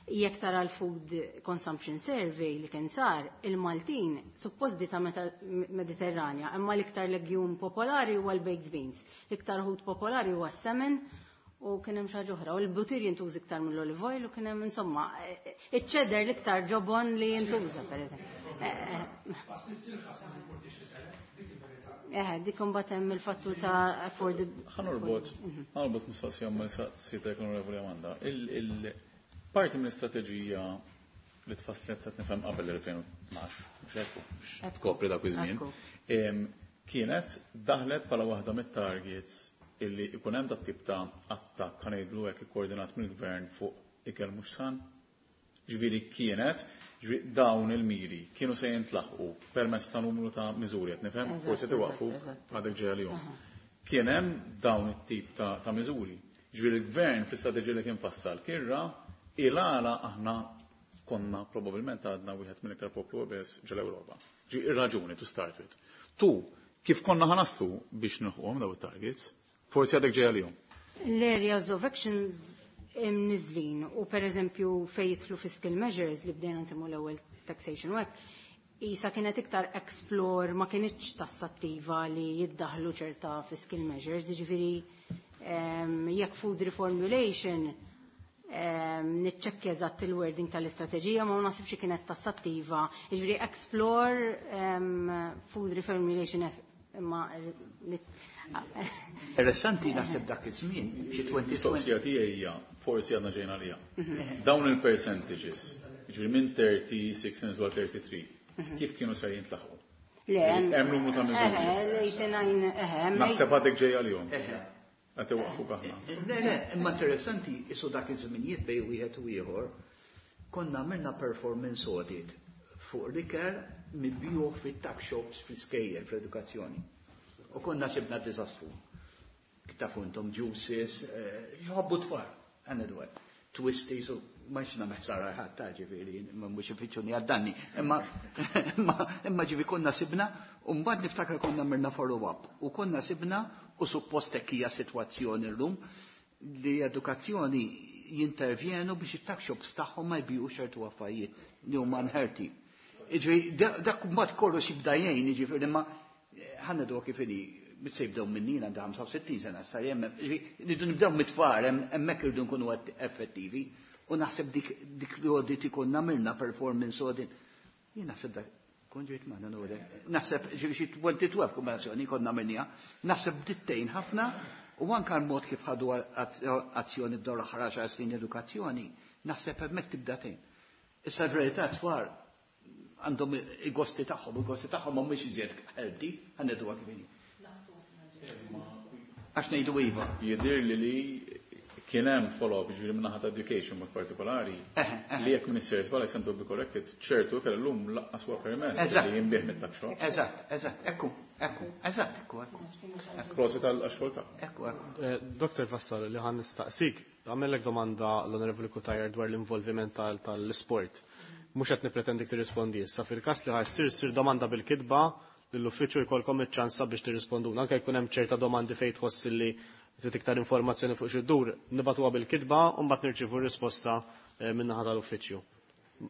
jekk tara l-food consumption survey li kien sar, il-Maltin suppost dieta Mediterranja, imma l-iktar legume popolari huwa l-baked beans, l-iktar ħut popolari huwa s-salmon u kien hemm xi ħaġa oħra, u l-butir jintuża iktar mill-olive oil u kien hemm, insomma, iċ-cheddar l-iktar ġobon li jintuża, pereżempju. Eh, dik imbagħad hemm il-fattur ta' affordable. Ħa norbot, ħa norbot mistoqsija ma' sitek, Onorevoli Amanda. Il-parti mill-istrateġija li tfasslet, qed nifhem, qabel l-elfejn u tnax, mhux hekk, biex tkopri dak iż-żmien, em, kienet daħlet bħala waħda mit-targets illi ikun hemm dat tip ta' attakk, ħa ngħidlu hekk, ikkoordinat mill-gvern fuq ikel mhux san. Ġifieri kienet, ġifieri dawn il-miri kienu se jintlaħqu permezz ta' numru ta' miżuri, qed nifhem, Eżatt, forsi tiwaqfu eżatt, eżatt. għadek ġejja li Kien hemm dawn it-tip ta', ta' miżuri. Ġifieri l-gvern fl-istrateġija li kien fassal kien ra il-għala aħna konna probabbilment għadna wieħed mill-iktar poplu obeż ġol-Ewropa. Ġi ir-raġuni to start with. Tu, Kif konna ħa naslu biex nilħquhom daw it-targets? Forsi għadek ġej għalihom. L-areas of actions imniżlin u per eżempju fejn jidħlu fiscal measures li bdejna nsemmu l-ewwel taxation u hekk, isa kienet iktar explore, ma kienitx tassattiva li jiddaħlu ċerta fiscal measures, jiġifieri jekk food reformulation niċċekkja eżatt il-wording tal-istrateġija, ma naħsibx kienet tassattiva. Jiġifieri explore food reformulation imma Interessanti naħseb dak iż-żmien xi Mistoqsija tiegħi hija forsi għadna ġejna għalija. Dawn il-percentages, jiġifieri minn thirty-six għal thirty-three, kif kienu se jintlaħqu? Le, hemm numru ta' miżuri. Naħseb għadek ġej għalihom. Qed iwaqqfuk aħna. Le, le, imma interessanti isu dak iż-żminijiet bejn wieħed u ieħor konna għamilna performance audit fuq l-ikel mibjuħ fit-tuck shops fl-iskejjel fl-edukazzjoni. U konna sibna diżastru. Tafu intom juices, jħobbu tfal, għanna dwar. Twisties u ma xna meħsara ħadd ta' ġifieri, ma mhux ifittxuni għad-danni. Imma imma ġifieri konna sibna u mbagħad niftakar konna mirna follow-up u konna sibna u suppost hekk hija sitwazzjoni llum li edukazzjoni jintervjenu biex it-tuck shops tagħhom ma jbiju ċertu affarijiet li huma unhealthy. Jiġifieri dak mbagħad kollox jibda jgħin, jiġifieri imma ħanna dwa kif inhi se jibdew minnina għandha ħamsa u sittin sena sa hemm, rridu nibdew mit-tfal, hemmhekk irridu nkunu effettivi. U naħseb dik dik li audit ikun għamilna performance audit. Jien naħseb dak kont ġejt magħna nure. Naħseb xi twenty twelve kombinazzjoni konna għamilniha. Naħseb dittejn ħafna u anke l-mod kif ħadu azzjoni b'dawn l-aħħar għaxar snin edukazzjoni, naħseb hemmhekk tibda tgħin. Issa l-verità tfal għandhom il-gosti tagħhom, il-gosti tagħhom mhumiex iżjed healthy, ħaneduha kif inhi. Għax ngħidu iva. Jidhir li li kien hemm follow-up ġifieri minn naħa ta' education mod partikolari li jekk minister żball I stand to be corrected, ċertu kell llum laqqas huwa permess li jinbih mit-tuck shop. Eżatt, eżatt, ekku, ekku, eżatt, ekku, ekku. Prosit għal xogħol ta' Ekku, ekku. Doktor Vassallo, li ħan nistaqsik, għamellek domanda l-Onorevoli Cutajar dwar l-involviment tal-sport. Mhux qed nippretendik tirrispondi issa, fil-każ li ħa ssir ssir domanda bil-kitba lill-uffiċċju jkollkom iċ-ċans biex tirrisponduna, anke jkun hemm ċerta domandi fejn tħoss li trid iktar informazzjoni fuq xi ddur, nibatuha bil-kitba u mbagħad nirċievu r-risposta min-naħa tal-uffiċċju.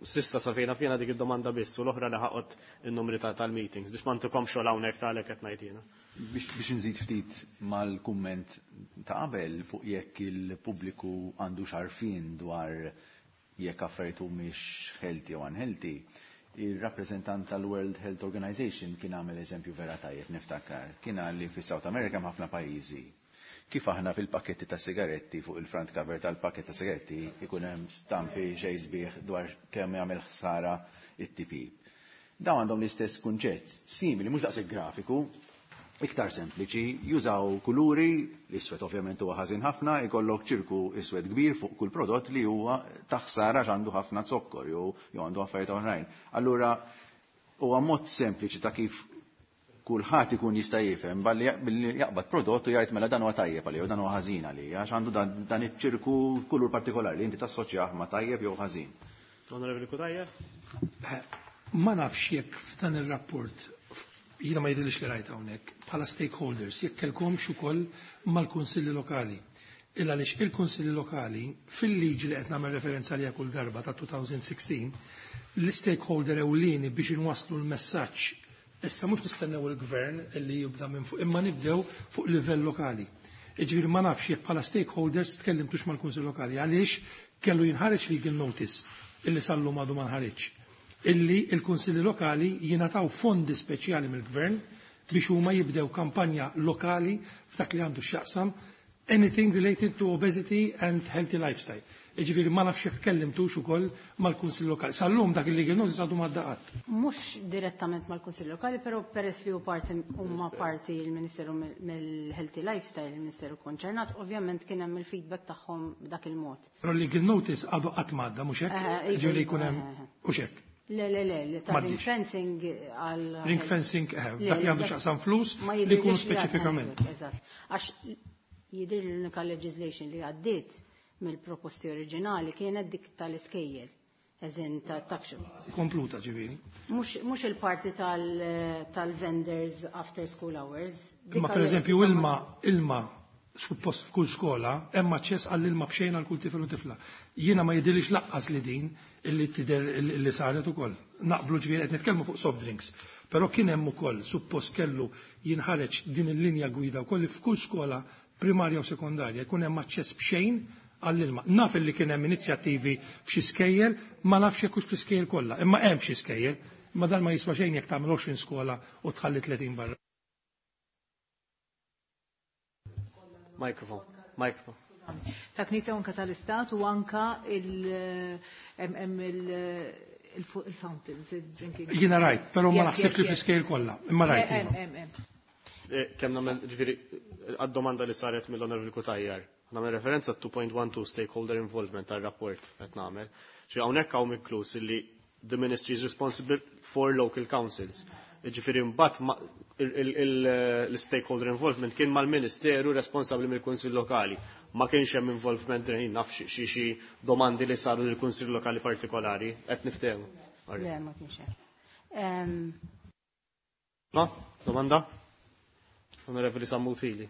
Sissa sa fejna fjena dik id-domanda biss u l-oħra li ħaqot in-numri tal-meetings biex ma ntikomx xogħol hawnhekk ta' għalhekk qed ngħid jiena. Biex nżid ftit mal-kumment ta' qabel fuq jekk il-pubbliku għandu xarfin dwar jekk affarijiet humiex healthy u unhealthy, il-rappreżentant tal-World Health Organization kien għamel eżempju vera tajjeb niftakar. Kien qal li fi South America hemm ħafna pajjiżi. Kif aħna fil-pakketti ta' sigaretti fuq il-front cover tal-pakket ta' sigaretti ikun hemm stampi xejn sbieħ dwar kemm jagħmel ħsara it-T P. Dawn għandhom l-istess kunċett, simili, mhux daqshekk grafiku, iktar sempliċi, jużaw kuluri, l-iswed ovvjament huwa ħażin ħafna, ikollok ċirku iswed kbir fuq kull prodott li huwa ta' ħsara għax għandu ħafna zokkor jew jew għandu affarijiet oħrajn. Allura huwa mod sempliċi ta' kif kulħadd ikun jista' jifhem balli billi jaqbad prodott u jgħid mela dan huwa tajjeb għalija u dan huwa ħażin għalija għax għandu dan, dan iċ-ċirku kulur partikolari li inti tassoċjah ma' tajjeb jew ħażin. Onorevoli Cutajar? Ma nafx jekk f'dan ir-rapport jiena ma jidhirlix li rajt hawnhekk bħala stakeholders jekk kellkomx ukoll mal-kunsilli lokali. Illa għaliex il-kunsilli lokali fil-liġi li qed nagħmel referenza għaliha kull darba ta' twenty sixteen, l-stakeholder ewlieni biex inwasslu l-messaġġ issa mhux nistennew il-gvern li jibda minn fuq imma nibdew fuq livell lokali. Jiġifieri ma nafx jekk bħala stakeholders tkellimtux mal-kunsill lokali għaliex kellu jinħareġ legal notice illi sal-lum għadu ma nħareġ. Illi il-kunsilli lokali jingħataw fondi speċjali mill-gvern biex huma jibdew kampanja lokali f'dak li għandu x'jaqsam anything related to obesity and healthy lifestyle. Jiġifieri ma nafx jekk tkellimtux ukoll mal-Kunsill Lokali. Sal-lum dak il-legal notice għadu ma daqat. Mhux direttament mal-Kunsill Lokali, però peress li hu parti huma parti il-Ministeru mill-Healthy Lifestyle, il-Ministeru konċernat, ovvjament kien hemm il-feedback tagħhom b'dak il-mod. Però legal notice għadu qatt m'għadda mhux hekk? Jiġifieri jkun hemm mhux hekk. Le, le, le, li ta' ring fencing għal Ring fencing, eh, dak li għandu x'jaqsam flus li jkunu speċifikament. Eżatt. Għax jidher l-unika legislation li għaddiet mill-proposti oriġinali kienet dik tal-iskejjel. Eżin ta' tuck shop. Kompluta ġifieri. Mhux il-parti tal-vendors after school hours. Imma per eżempju ilma ilma suppost f'kull skola hemm aċċess għall-ilma b'xejn għal kull tifel u tifla. Jiena ma jidhirlix laqqas li din illi tidher illi saret ukoll. Naqblu ġifieri qed nitkellmu fuq soft drinks. Però kien hemm ukoll suppost kellu jinħareġ din il-linja gwida wkoll li f'kull skola primarja u sekondarja jkun hemm aċċess b'xejn għall-ilma. Naf illi kien hemm inizjattivi f'xi skejjel, ma nafx jekk hux fl-iskejjel kollha, imma hemm f'xi skejjel, imma dan ma jiswa xejn jekk tagħmel għoxrin skola u tħalli tletin barra. Microphone, microphone. Ta' Knisja anka tal-Istat u anka il-fountains, il-drinking. Jiena rajt, però ma naħsibx li fl-iskejjel kollha, imma rajt. Kemm nagħmel ġifieri għad-domanda li saret mill-Onorevoli Cutajar. Nagħmel referenza two point one two stakeholder involvement tar-rapport qed nagħmel. Ġi hawnhekk hawn inkluż illi the ministry is responsible for local councils. Ġifieri mbagħad l-stakeholder involvement kien mal-Ministeru responsabbli mill-Kunsill Lokali. Ma kienx hemm involvement jien naf xi xi domandi li saru lill-Kunsill Lokali partikolari, qed niftehmu. Le, ma kienx hemm. Ma, domanda? Onorevoli Sammut Hili.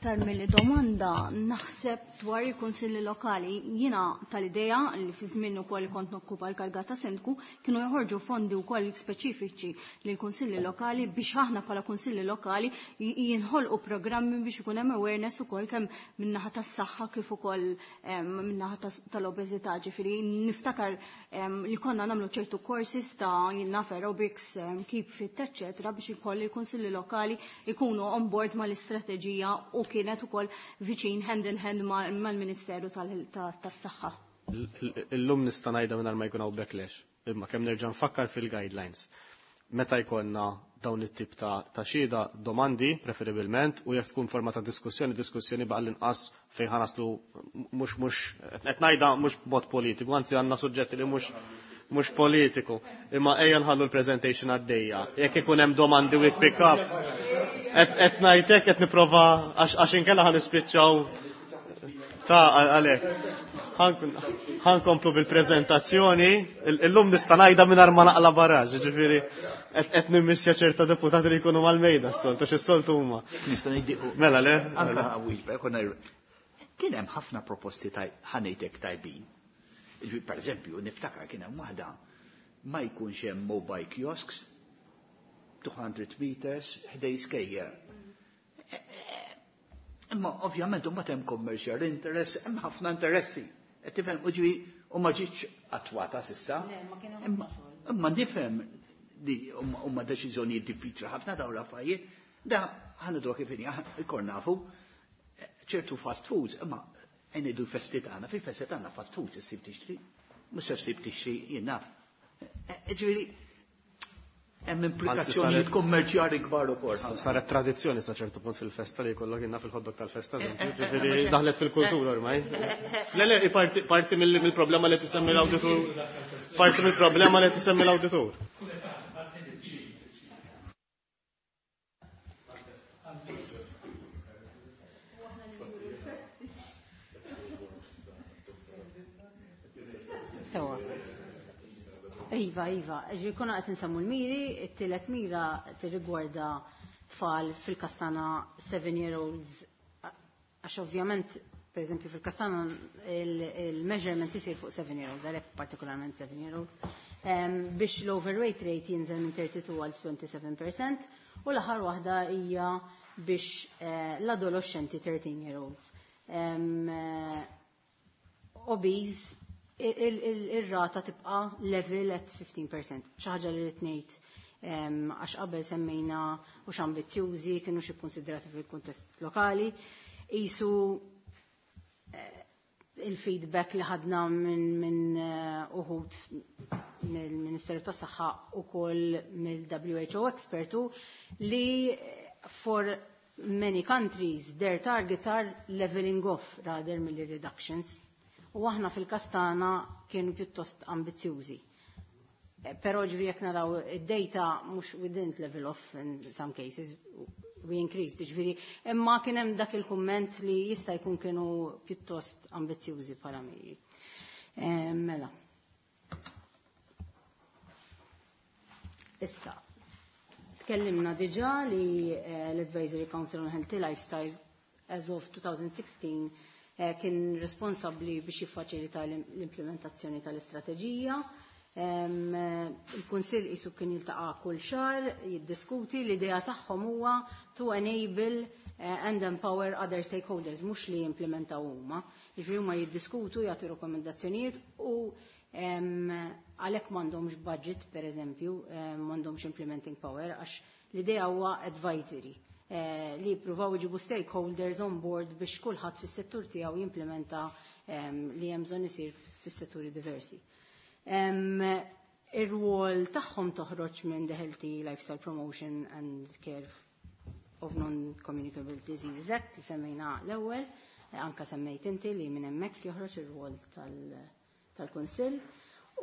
Aktar mill domanda naħseb dwar il-kunsilli lokali, jiena tal-idea li fi żmien ukoll kont nokkupa l-karga ta' sindku kienu joħorġu fondi wkoll speċifiċi lil kunsilli lokali biex aħna bħala kunsilli lokali jinħolqu programmi biex ikun hemm awareness ukoll kemm min-naħa tas-saħħa kif ukoll min-naħa tal-obeżità. Ġifieri niftakar li konna nagħmlu ċertu courses ta' naf aerobics, keep fit, eċċetera biex ikoll il-kunsilli lokali ikunu on board mal-istrateġija u kienet ukoll viċin hand in hand mal-Ministeru tas-Saħħa. Illum nista' ngħidha mingħajr ma jkun hawn backlash, imma kemm nerġa' nfakkar fil-guidelines. Meta jkollna dawn it-tip ta' xhieda domandi preferibilment u jekk tkun forma ta' diskussjoni, diskussjoni baqa' l-inqas fejn ħanaslu mhux mhux qed ngħidha mhux b'mod politiku, anzi għandna suġġetti li mhux mhux politiku, imma ejja nħallu l-presentation għaddejja. Jekk ikun hemm domandi we pick up, qed ngħidlek qed nipprova għax inkella ħa nispiċċaw ta' għalhekk. Ħankomplu bil-preżentazzjoni, illum nista' ngħidha mingħajr ma naqla baraġ, jiġifieri qed nimmissja ċerta deputati li jkunu mal-mejda s-soltu, għax is-soltu huma. Nista' ngħidi Mela le? Anka wieġba, konna kien hemm ħafna proposti ħanejtek tajbin. Per eżempju, niftakar kien hemm waħda ma jkunx hemm mobile kiosks two hundred meters ħdej skejjer. Imma ovvjament huma hemm commercial interest, hemm ħafna interessi. Qed tifhem u ġifi u ma ġietx attwata s'issa. Imma imma nifhem li huma deċiżjonijiet diffiċli ħafna dawn l-affarijiet, da ħanidwa kif inhi, ikor nafu ċertu fast foods, imma ngħidu festi tagħna, fi festi tagħna fast food issib tixtri, mhux se ssib tixtri jien naf. Ġifieri hemm implikazzjonijiet kummerċjali kbar ukoll. Saret tradizzjoni sa ċertu punt fil-festa li jkollok jinnna fil-ħoddok tal-festa, ġifieri daħlet fil-kultura ormai. Le, le, parti, parti mill-problema li tisemmi l-awditur. Parti mill-problema li tisemmi l-awditur. Sewa. Iva, iva, ġi kuna qed insemmu l-miri, it-tielet mira tirrigwarda tfal fil-kastana seven year olds, għax ovvjament, per eżempju, fil-kastana il-measurement isir fuq seven year olds, għalhekk partikolarment seven year olds, biex l-overweight rate jinżel minn thirty-two għal twenty-seven percent, u l-aħħar waħda hija biex l-adolescenti thirteen year olds. Obese, ir-rata tibqa level at fifteen percent. Xi ħaġa li rrid ngħid, għax qabel semmejna u x'ambizzjużi kienu xi kkunsidrati fil-kuntest lokali. Isu il-feedback li ħadna minn, minn uħud mill-Ministeru tas-Saħħa ukoll mill-W H O expertu li for many countries their targets are leveling off rather mill reductions. U aħna fil-kastana kienu pjuttost ambizzjużi. Però ġifieri jekk naraw id-data mhux we didn't level off in some cases, we increased, ġifieri, imma kien hemm dak il-kumment li jista' jkun kienu pjuttost ambizzjużi bħala miri. Mela. Issa, tkellimna diġà li eh, l-Advisory Council on Healthy Lifestyles as of twenty sixteen eh, kien responsabbli biex jiffaċilita l-implementazzjoni tal-istrateġija. Il-Kunsill isu kien jiltaqa' kull xahar, jiddiskuti. L-idea tagħhom huwa to enable eh, and empower other stakeholders, mhux li jimplementaw huma. Jiġifieri huma jiddiskutu, jagħtu rekomendazzjonijiet u għalhekk m'għandhomx budget, pereżempju, m'għandhomx implementing power, għax l-idea huwa advisory eh, li jippruvaw iġibu stakeholders on board biex kulħadd fis-settur tiegħu jimplementa li hemm bżonn isir fis-setturi diversi. Ir-rwol tagħhom toħroġ minn the Healthy Lifestyle Promotion and Care of Non-Communicable Diseases Act li semmejna l-ewwel, anka semmejt inti li minn hemmhekk joħroġ ir-rwol tal-Kunsill.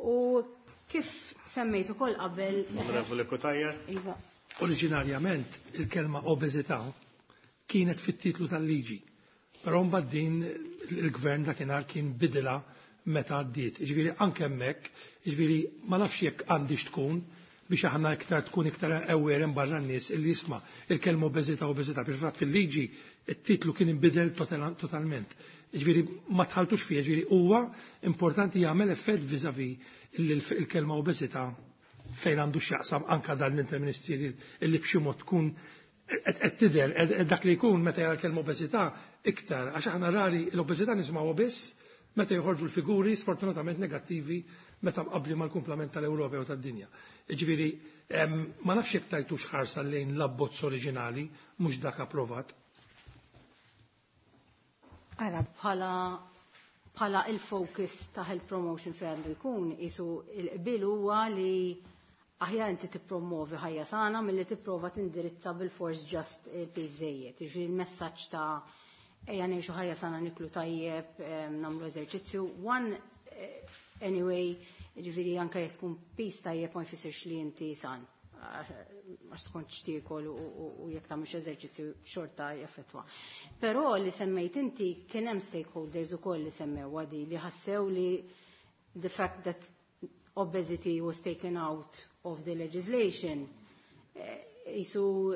U kif semmejt ukoll qabel. Onorevoli Cutajar. Iva. Oriġinarjament il-kelma obeżità kienet fit-titlu tal-liġi. Però mbagħad din il-gvern dakinhar kien bidilha meta għaddiet. Ġifieri anke hemmhekk, ġifieri ma nafx jekk għandix tkun biex aħna iktar tkun iktar aware barra n-nies illi jisma' il-kelma obeżità, obeżità. Fil-fatt fil-liġi it-titlu kien inbidel totalment. Ġifieri ma tħaltux fija, ġifieri huwa importanti jagħmel effett vis-à-vis il-kelma obeżità fejn għandu x'jaqsam anka dan l-interministeri illi b'xi mod tkun qed tidher dak li jkun meta jara l-kelma obeżità iktar, għax aħna rari l-obeżità nisimgħu biss meta joħorġu l-figuri sfortunatament negattivi meta mqabli mal-kumplament tal-Ewropa u tad-dinja. Ġifieri ma nafx jekk tajtux ħarsa lejn l-abbozz oriġinali, mhux dak approvat. Ara, bħala bħala il-focus ta' health promotion fejn għandu jkun, isu il-qbil huwa li aħjar inti tippromovi ħajja sana milli tipprova tindirizza bil-fors just il-piż żejjed. Jiġifieri il-messaġġ ta' ejja ngħixu ħajja sana, niklu tajjeb, nagħmlu eżerċizzju. One, eh, anyway, ġifieri anke jekk tkun piż tajjeb ma jfissirx li inti san. Għax tkun xtiekol u jekk tagħmilx eżerċizzju xorta jaffettwa. Però li semmejt inti, kien hemm stakeholders ukoll li semmew għadi li ħassew li the fact that obesity was taken out of the legislation, jisu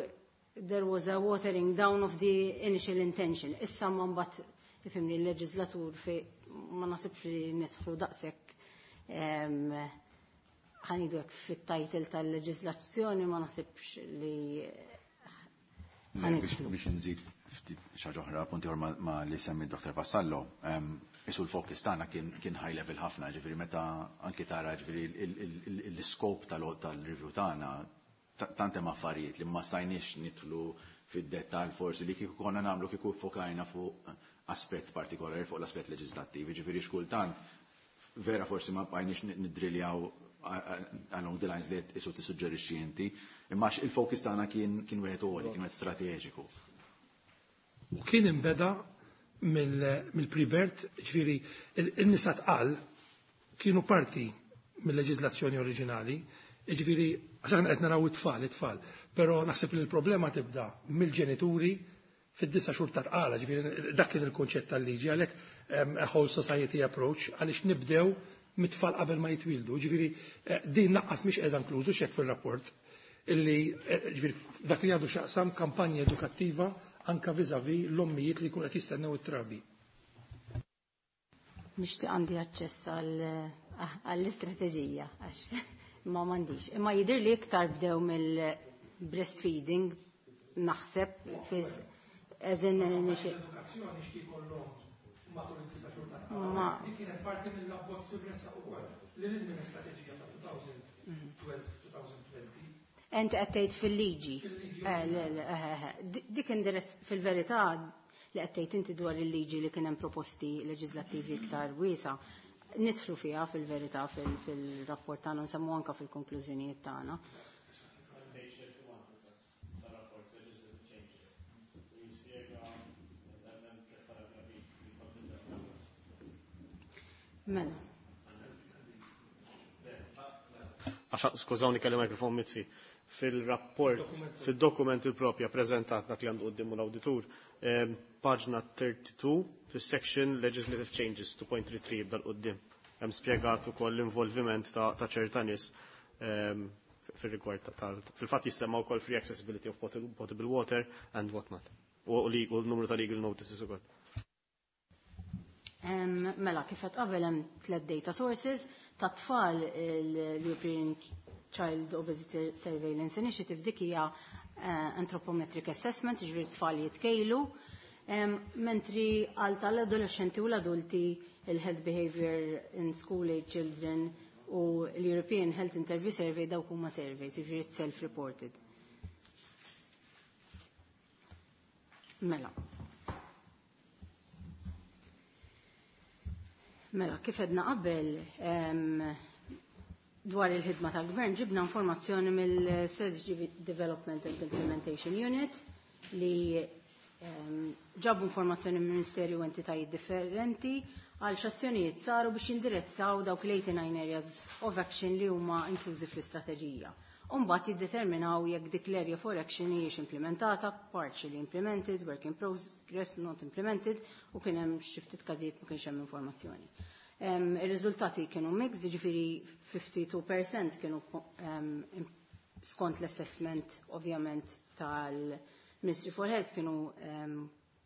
there was a watering down of the initial intention. Issa ma mbagħad ifhimni l-leġislatur fi ma nasibx li nidħlu daqshekk, ħa ngħidu hekk, fit-title tal-leġislazzjoni ma nasibx li Biex nżid ftit xi ħaġa oħra, punti ma li semmi Dottor Vassallo, isu l-focus tagħna kien high level ħafna, ġifieri meta anki tara ġifieri l-scope tal-review tagħna, tant hemm affarijiet li ma stajniex nidħlu fid-dettall forsi li kieku konna nagħmlu kieku fokajna fuq aspett partikolari, fuq l-aspett leġislattiv, ġifieri xkultant vera forsi ma bqajniex nidriljaw along the lines li isu tissuġġerixxi inti, imma il-focus tagħna kien kien wieħed għoli, kien wieħed strateġiku. U kien imbeda mill-pre-birth, ġifieri in-nisa tqal kienu parti mill-leġiżlazzjoni oriġinali, ġifieri għax aħna qed naraw it-tfal, it-tfal, però naħseb li l-problema tibda mill-ġenituri fid-disa xhur ta' tqala, ġifieri dak kien il-kunċett tal-liġi, għalhekk a whole society approach, għaliex nibdew mit-tfal qabel ma jitwildu. Ġifieri eh, din naqqas mhix qiegħda inklużu xek fir-rapport illi eh, ġifieri dak li għandu x'jaqsam kampanja edukattiva anka vis-à-vis l-ommijiet li jkun qed jistennew it-trabi. Nixtieq għandi aċċess għall-istrateġija għax ma m'għandix. Imma jidher li iktar bdew mill-breastfeeding naħseb fiż as in Edukazzjoni x'ikollhom matul it-tisa' xhur ta' Ma kienet parti mill-abbozz imressaq ukoll li lil minn istrateġija ta' elfejn u tnax-elfejn u għoxrin. Enti qed tgħid fil-liġi. Eh, le, le, eh, eh, eh. Dik indirizz fil-verità li qed tgħid inti dwar il-liġi li kien hemm proposti leġislattivi iktar wiesa'. Nidħlu fiha fil-verità fil-rapport tagħna, nsemmu anka fil-konklużjonijiet tagħna. Tar-rapport legislative changes. Jispjega hemm tliet paragrafi li konsidraw. Mela. Għax, skużawni, kelli mikrofon mitfi. Fil-rapport, fil-dokument il-propja prezentat dak li għandu quddiemu l-awditur, em, paġna tlieta u tletin, fil-section Legislative Changes tnejn punt tlieta tlieta jibda l-qoddim. Hemm spjegat ukoll l-involviment ta' ta' ċerta nies em, fil-rigward tal fil-fatt jissemma wkoll free accessibility of potable water and what not. U l-numru ta' legal notices ukoll. Mela, kif qed qabel hemm tliet data sources ta' tfal l-European Child Obesity Surveillance Initiative dik hija eh, anthropometric assessment, ġifieri tfal jitkejlu, mentri għal tal-adolescenti u l-adulti il-Health Behavior in School Age Children u l-European Health Interview Survey dawk huma surveys, jiġifieri self-reported. Mela. Mela, kif edna qabel dwar il-ħidma tal-gvern ġibna informazzjoni mill-Strategy Development and Implementation Unit li ġabu informazzjoni mill Ministeri u entitajiet differenti għal x'azzjonijiet saru biex jindirizzaw dawk l-eighty-nine areas of action li huma inklużi fl-istrateġija. U mbagħad jiddeterminaw jekk dik l-area for action hijiex implementata, partially implemented, work in progress, not implemented, u kien hemm xi ftit każijiet ma kienx hemm informazzjoni. Ir-riżultati kienu mix, jiġifieri fifty-two percent kienu skont l-assessment ovvjament tal-Ministry for Health kienu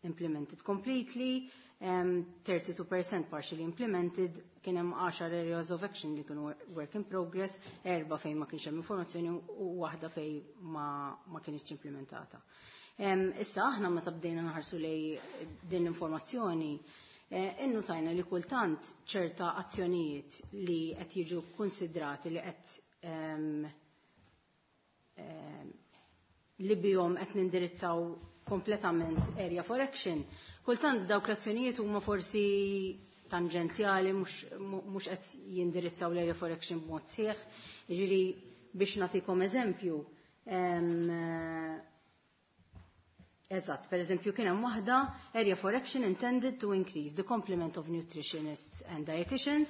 implemented completely, thirty-two percent partially implemented, kien hemm għaxar areas of action li kienu work in progress, erba' fejn ma kienx hemm informazzjoni u waħda fejn ma, ma kienx implementata. Issa aħna meta bdejna nħarsu lej din l-informazzjoni, eh, innutajna li kultant ċerta azzjonijiet li qed jiġu konsidrati li qed li bihom qed nindirizzaw kompletament area for action. Kultant dawk l-azzjonijiet huma forsi tangenzjali, mhux qed jindirizzaw l-area for action b'mod sieħ. Jiġifieri biex nagħtikom eżempju, eżatt, per eżempju kien hemm waħda area for action intended to increase the complement of nutritionists and dietitians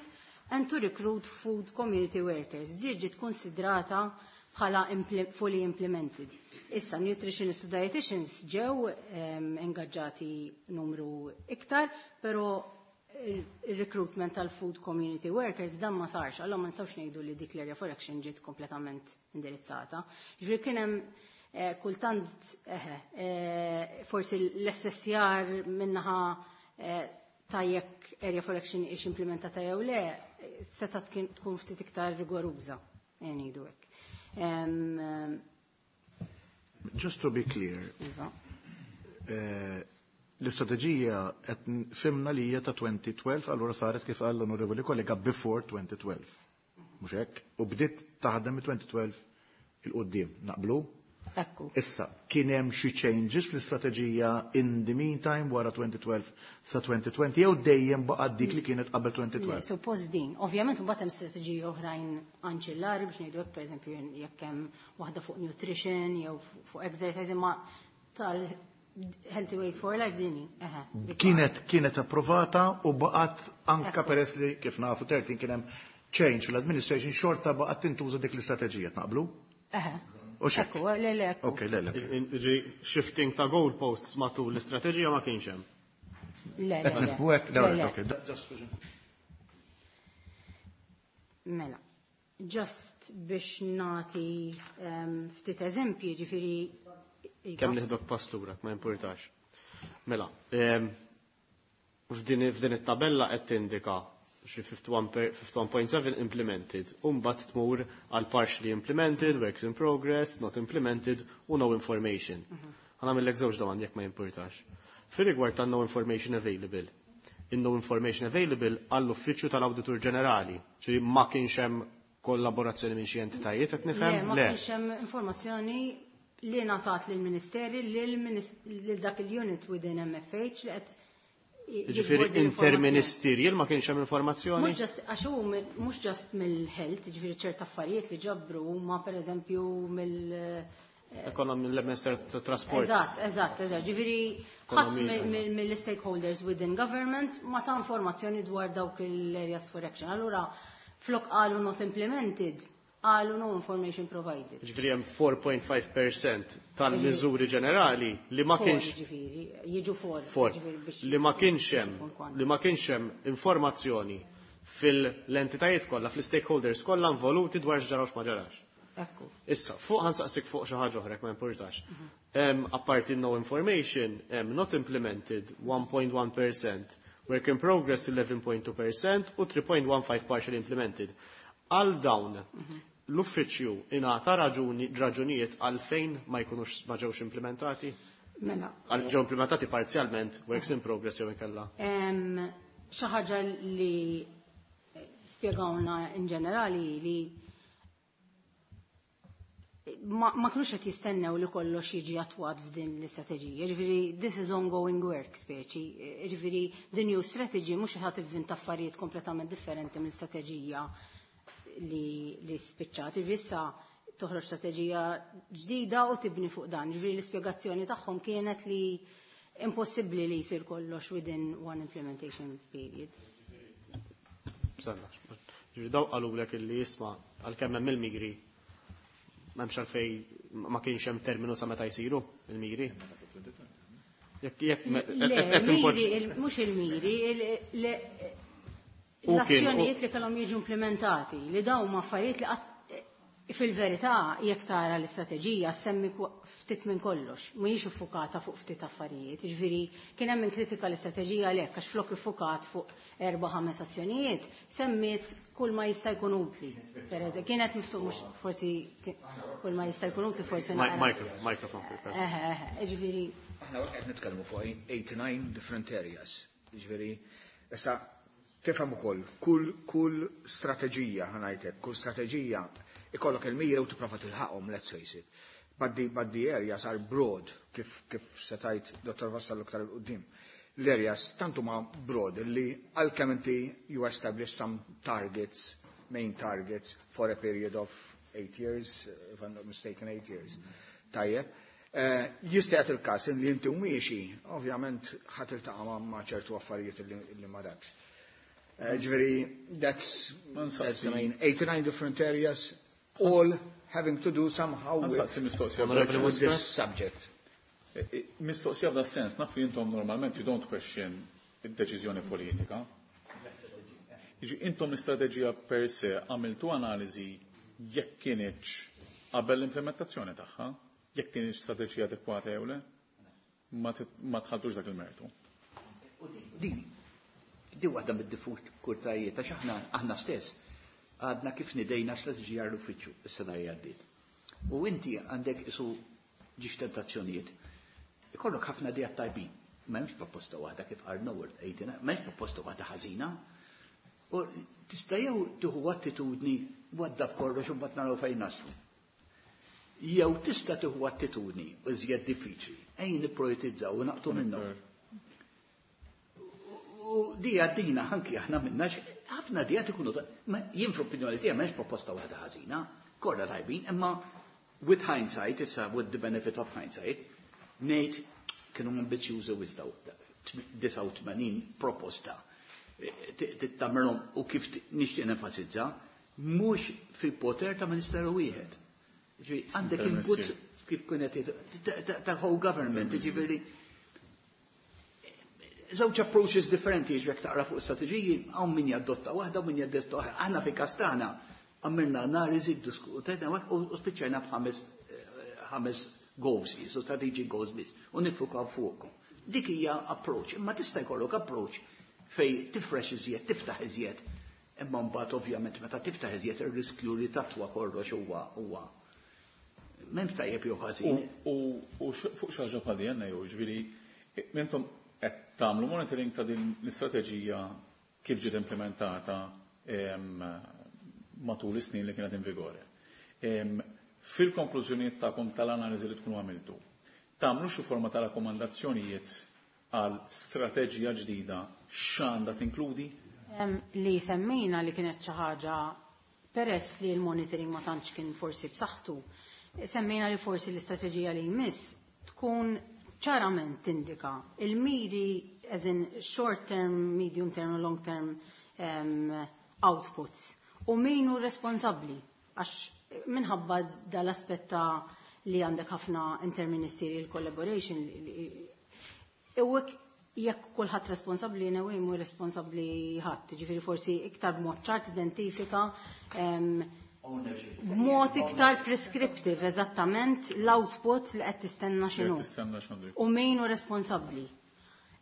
and to recruit food community workers. Di ġiet konsidrata bħala fully implemented. Issa, nutritionists u dietitians ġew ingaġġati numru iktar, pero il-recruitment tal-food community workers dan ma sarx, allora ma nistgħux ngħidu li dik l-area for action ġiet kompletament indirizzata. Ġifieri kien hemm kultant forsi l-S S R minnaħa ta' jekk area for action ix implementata jew le, seta' tkun ftit iktar rigoruża, ngħidu hekk. Just to be clear, l-istrateġija qed fimna li hija ta' twenty twelve, allura saret kif qal l-onorevoli kollega before twenty twelve. Mhux hekk? U bdiet taħdem twenty twelve il-qudiem, naqblu? Ekku. Issa, kien hemm xi changes fl-istrateġija in the meantime wara twenty twelve sa twenty twenty jew dejjem baqgħet dik li kienet qabel twenty twelve? Le, suppost din. Ovvjament imbagħad hemm strateġiji oħrajn anċillari biex ngħidu hekk, pereżempju jekk hemm waħda fuq nutrition jew fuq exercise, imma tal Healthy Weight for Life dini. Eħe, dik Kienet, kienet approvata u baqgħet anka Ekku. peress li kif nafu thirteen kien hemm change fl-administration xorta baqgħet tintuża dik l-istrateġija, naqblu? Eħe. U xek? Ekku, le, le, ekku. Ok, le, le. Ġi, shifting ta' goalposts matul l-istrateġija ma kienx hemm. Le, le, Qed le. nifhmu hekk? Le, le. Ok, just Mela, just biex nagħti, ehm, ftit eżempji, ġifieri iva. Kemm nieħdok pastura, ma importax. Mela, ehm, f'din f'din it-tabella qed tindika xi fifty-one per-, fifty-one point seven implemented, u mbagħad tmur għal partially implemented, works in progress, not implemented u no information. Mhm. Ħa nagħmellek żewġ domandi jekk ma jimportax. Fir-rigward tan no information available, in no information available għall-Uffiċċju tal-Awditur Ġenerali, ġifieri ma kienx hemm kollaborazzjoni minn xi entitajiet qed nifhem? Le, ma Le. kienx hemm informazzjoni li ngħatat lill-Ministeri lil dak il-unit within M F H li qed Ġifieri jiġbor din interministerial ma kienx hemm informazzjoni? Mhux just, għax hu mill-, mhux just mill-health, ġifieri ċerta affarijiet li ġabru huma pereżempju mill-, Ekonomi, mill-Minister ta' Trasport. Eżatt, eżatt, eżatt. Ġifieri ħadd Ekonomija. mill-, mill-, mill-stakeholders within government ma ta' informazzjoni dwar dawk l-areas for action. Allura flok qalu not implemented, qalu no information provided. Ġifieri hemm four point five percent tal-miżuri ġenerali li ma Four, kienx ġifieri, jiġu four, Four. ġifieri biex Li ma kienx hemm, biex ikun li ma kienx hemm informazzjoni fil-entitajiet kollha, fl-stakeholders kollha involuti dwar x'ġara u x'ma ġarax. Ekku. Issa, fuq ħa nsaqsik fuq xi ħaġa oħra ma importax. Mhm. Apparti no information, not implemented one point one percent, work in progress eleven point two percent u three point one five partially implemented. Għal dawn, mhm. l-uffiċċju ingħata raġunijiet għalfejn ma jkunux ma ġewx implementati? Mela. Għal ġew implementati parzjalment, works in progress jew inkella. Xi ħaġa li spjegawna in ġenerali li ma, ma kinux qed jistennew li kollox jiġi attwat f'din l-istrateġija. Ġifieri this is ongoing work speċi. Ġifieri the new strategy mhux ħa tivvinta affarijiet kompletament differenti mill-istrateġija li, li spiċċat. Ġifieri issa toħroġ strateġija ġdida u tibni fuq dan. Ġifieri l-ispjegazzjoni tagħhom kienet li impossibbli li jsir kollox within one implementation period. Stenna, ġifieri daw qalulek illi jisma' għalkemm hemm il-miri m'hemmx għalfej, ma kienx hemm terminu sa meta jsiru il-miri. Jekk jekk mhux il-miri, l-azzjonijiet li kellhom jiġu implementati, li dawn ma affarijiet li fil-verità jekk tara l-istrateġija semmi ftit minn kollox, mhijiex iffukata fuq ftit affarijiet. Ġifieri kien hemm kritika l-istrateġija għalhekk għax flok iffukat fuq erba' ħames azzjonijiet, semmiet kull ma jista' jkun utli. Per kienet miftuq mhux forsi kull ma jista' jkun utli forsi. Microphone. Eħe, eħe, ġifieri. Aħna qed nitkellmu fuq eighty-nine different areas. Ġifieri, issa tifhem ukoll kull kull strateġija, ħa ngħidlek, kull strateġija ikollok il-mira u tipprova tilħaqhom, let's face it. But the, but the areas are broad, kif, kif setajt Dottor Vassallo iktar 'il quddiem. L-areas tantu ma broad li għalkemm inti you establish some targets, main targets for a period of eight years, if I'm not mistaken, eight years. Tajjeb. Uh, jista' il-każ li inti miexi, ovvjament ħa tiltaqa' ma' ċertu affarijiet li ma dakx. Uh, ġifieri, that's, that's the main eighty-nine different areas, all having to do somehow with, with this subject. E, e, mistoqsija f'da sens, naf li intom normalment you don't question id-deċiżjoni politika. Jiġi intom l-istrateġija per se għamiltu analiżi jekk kienx qabel l-implementazzjoni tagħha, jekk kienx strateġija adekwata jew le, ma tħalltux dak il-mertu. Di, di waħda mid-diffikultajiet għax aħna aħna stess għadna kif nidejna strateġija l-uffiċċju is-sena li għaddiet. U inti għandek isu ġiex tentazzjonijiet. Ikollok ħafna ideat tajbin. M'hemmx proposta waħda kif qal Noel, m'hemmx proposta waħda ħażina. U tista' jew tieħu attitudni waddab kollox u mbagħad naraw fejn naslu. Jew tista' tieħu attitudni iżjed diffiċli, ejn nipprioritizzaw u naqtu minnhom. U di għaddina anki aħna minna ħafna ideat ikunu, jien fl-opinjoni tiegħi m'hemmx proposta waħda ħażina, kollha tajbin, imma with hindsight, issa with the benefit of hindsight, ngħid kienu ambizjużi wisq disgħa u tmenin proposta. Tittamilhom u kif nixtieq nenfasizza, mhux fil-poter ta' ministeru wieħed. Għandek input kif kienet ta' whole government, ġifieri żewġ approaches differenti ġrek taqra fuq strateġiji, hawn min jaddotta waħda u min jaddotta oħra. Aħna fi kastana għamilna analiżi, diskutejna u spiċċajna b'ħames ħames goals, so strategic goals biss, u niffukaw fuqhom. Dik hija approach, imma tista' jkollok approach fej tifrex iżjed, tiftaħ iżjed, imma mbagħad ovvjament meta tiftaħ iżjed ir-riskju li tatwa kollox huwa huwa m'hemm tajjeb jew ħażin. U fuq xi ħaġa bħal din jew ġifieri intom qed tagħmlu monitoring ta' din l-istrateġija kif ġiet implementata matul is-snin li kienet in vigore. Fil-konklużjonijiet tagħkom tal-analiżi li tkunu għamiltu, tagħmlu xi forma ta' rakkomandazzjonijiet għal strateġija ġdida x'għandha tinkludi? Li semmejna li kienet xi ħaġa peress li l-monitoring ma tantx kien forsi b'saħħtu, semmejna li forsi l-istrateġija li jmiss tkun ċarament tindika il-miri as in short term, medium term u long term um, outputs. U min hu responsabbli għax minħabba dal-aspett li għandek ħafna interministerial collaboration. U jekk kulħadd responsabbli, in a way mhu responsabbli ħadd, ġifieri forsi iktar b'mod ċar identifika um, B'mod iktar prescriptive, eżattament l-output li qed tistenna x'inhu. Tistenna x'għandu U min hu responsabbli.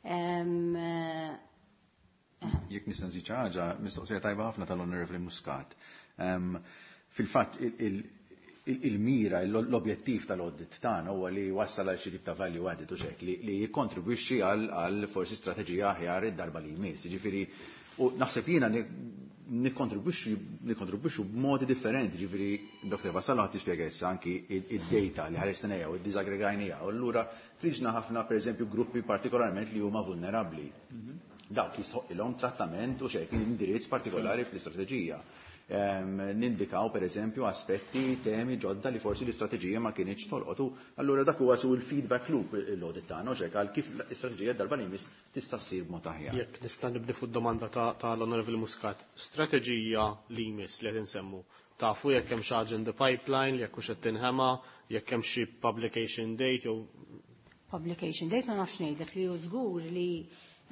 Em, eh, Jekk nista' nżid xi ħaġa, mistoqsija tajba ħafna tal-Onorevoli Muscat. Em, Fil-fatt il-mira, l-objettiv tal-audit tagħna huwa li wassal għal xi tip ta' value added u xek li li jikkontribwixxi għal għal forsi strateġija aħjar id-darba li jmiss. Jiġifieri u naħseb jiena nikkontribwixxu nikkontribwixxu b'modi differenti, ġifieri Dr. Vassallo ħadd tispjega issa anki id-data li ħaresna u ddiżaggregajniha. U allura ħriġna ħafna pereżempju gruppi partikolarment li huma vulnerabbli. Dawk jistħoq trattament u xek indirizz partikolari fl-istrateġija. Em, Nindikaw per eżempju aspetti, temi ġodda li forsi l-istrateġija ma kienx tolqot. U allura dak huwa su l-feedback loop l-audit tagħna u xek għal kif l-istrateġija darba li jmiss tista' ssir b'mod aħjar. Jekk nista' nibdi fuq domanda ta' tal-Onorevoli Muscat, strateġija li jmiss li qed insemmu. Tafu jekk hemm xi ħaġa in the pipeline, jekk hux qed tinħema, jekk hemm xi publication date jew Publication date ma nafx ngħidlek li hu żgur li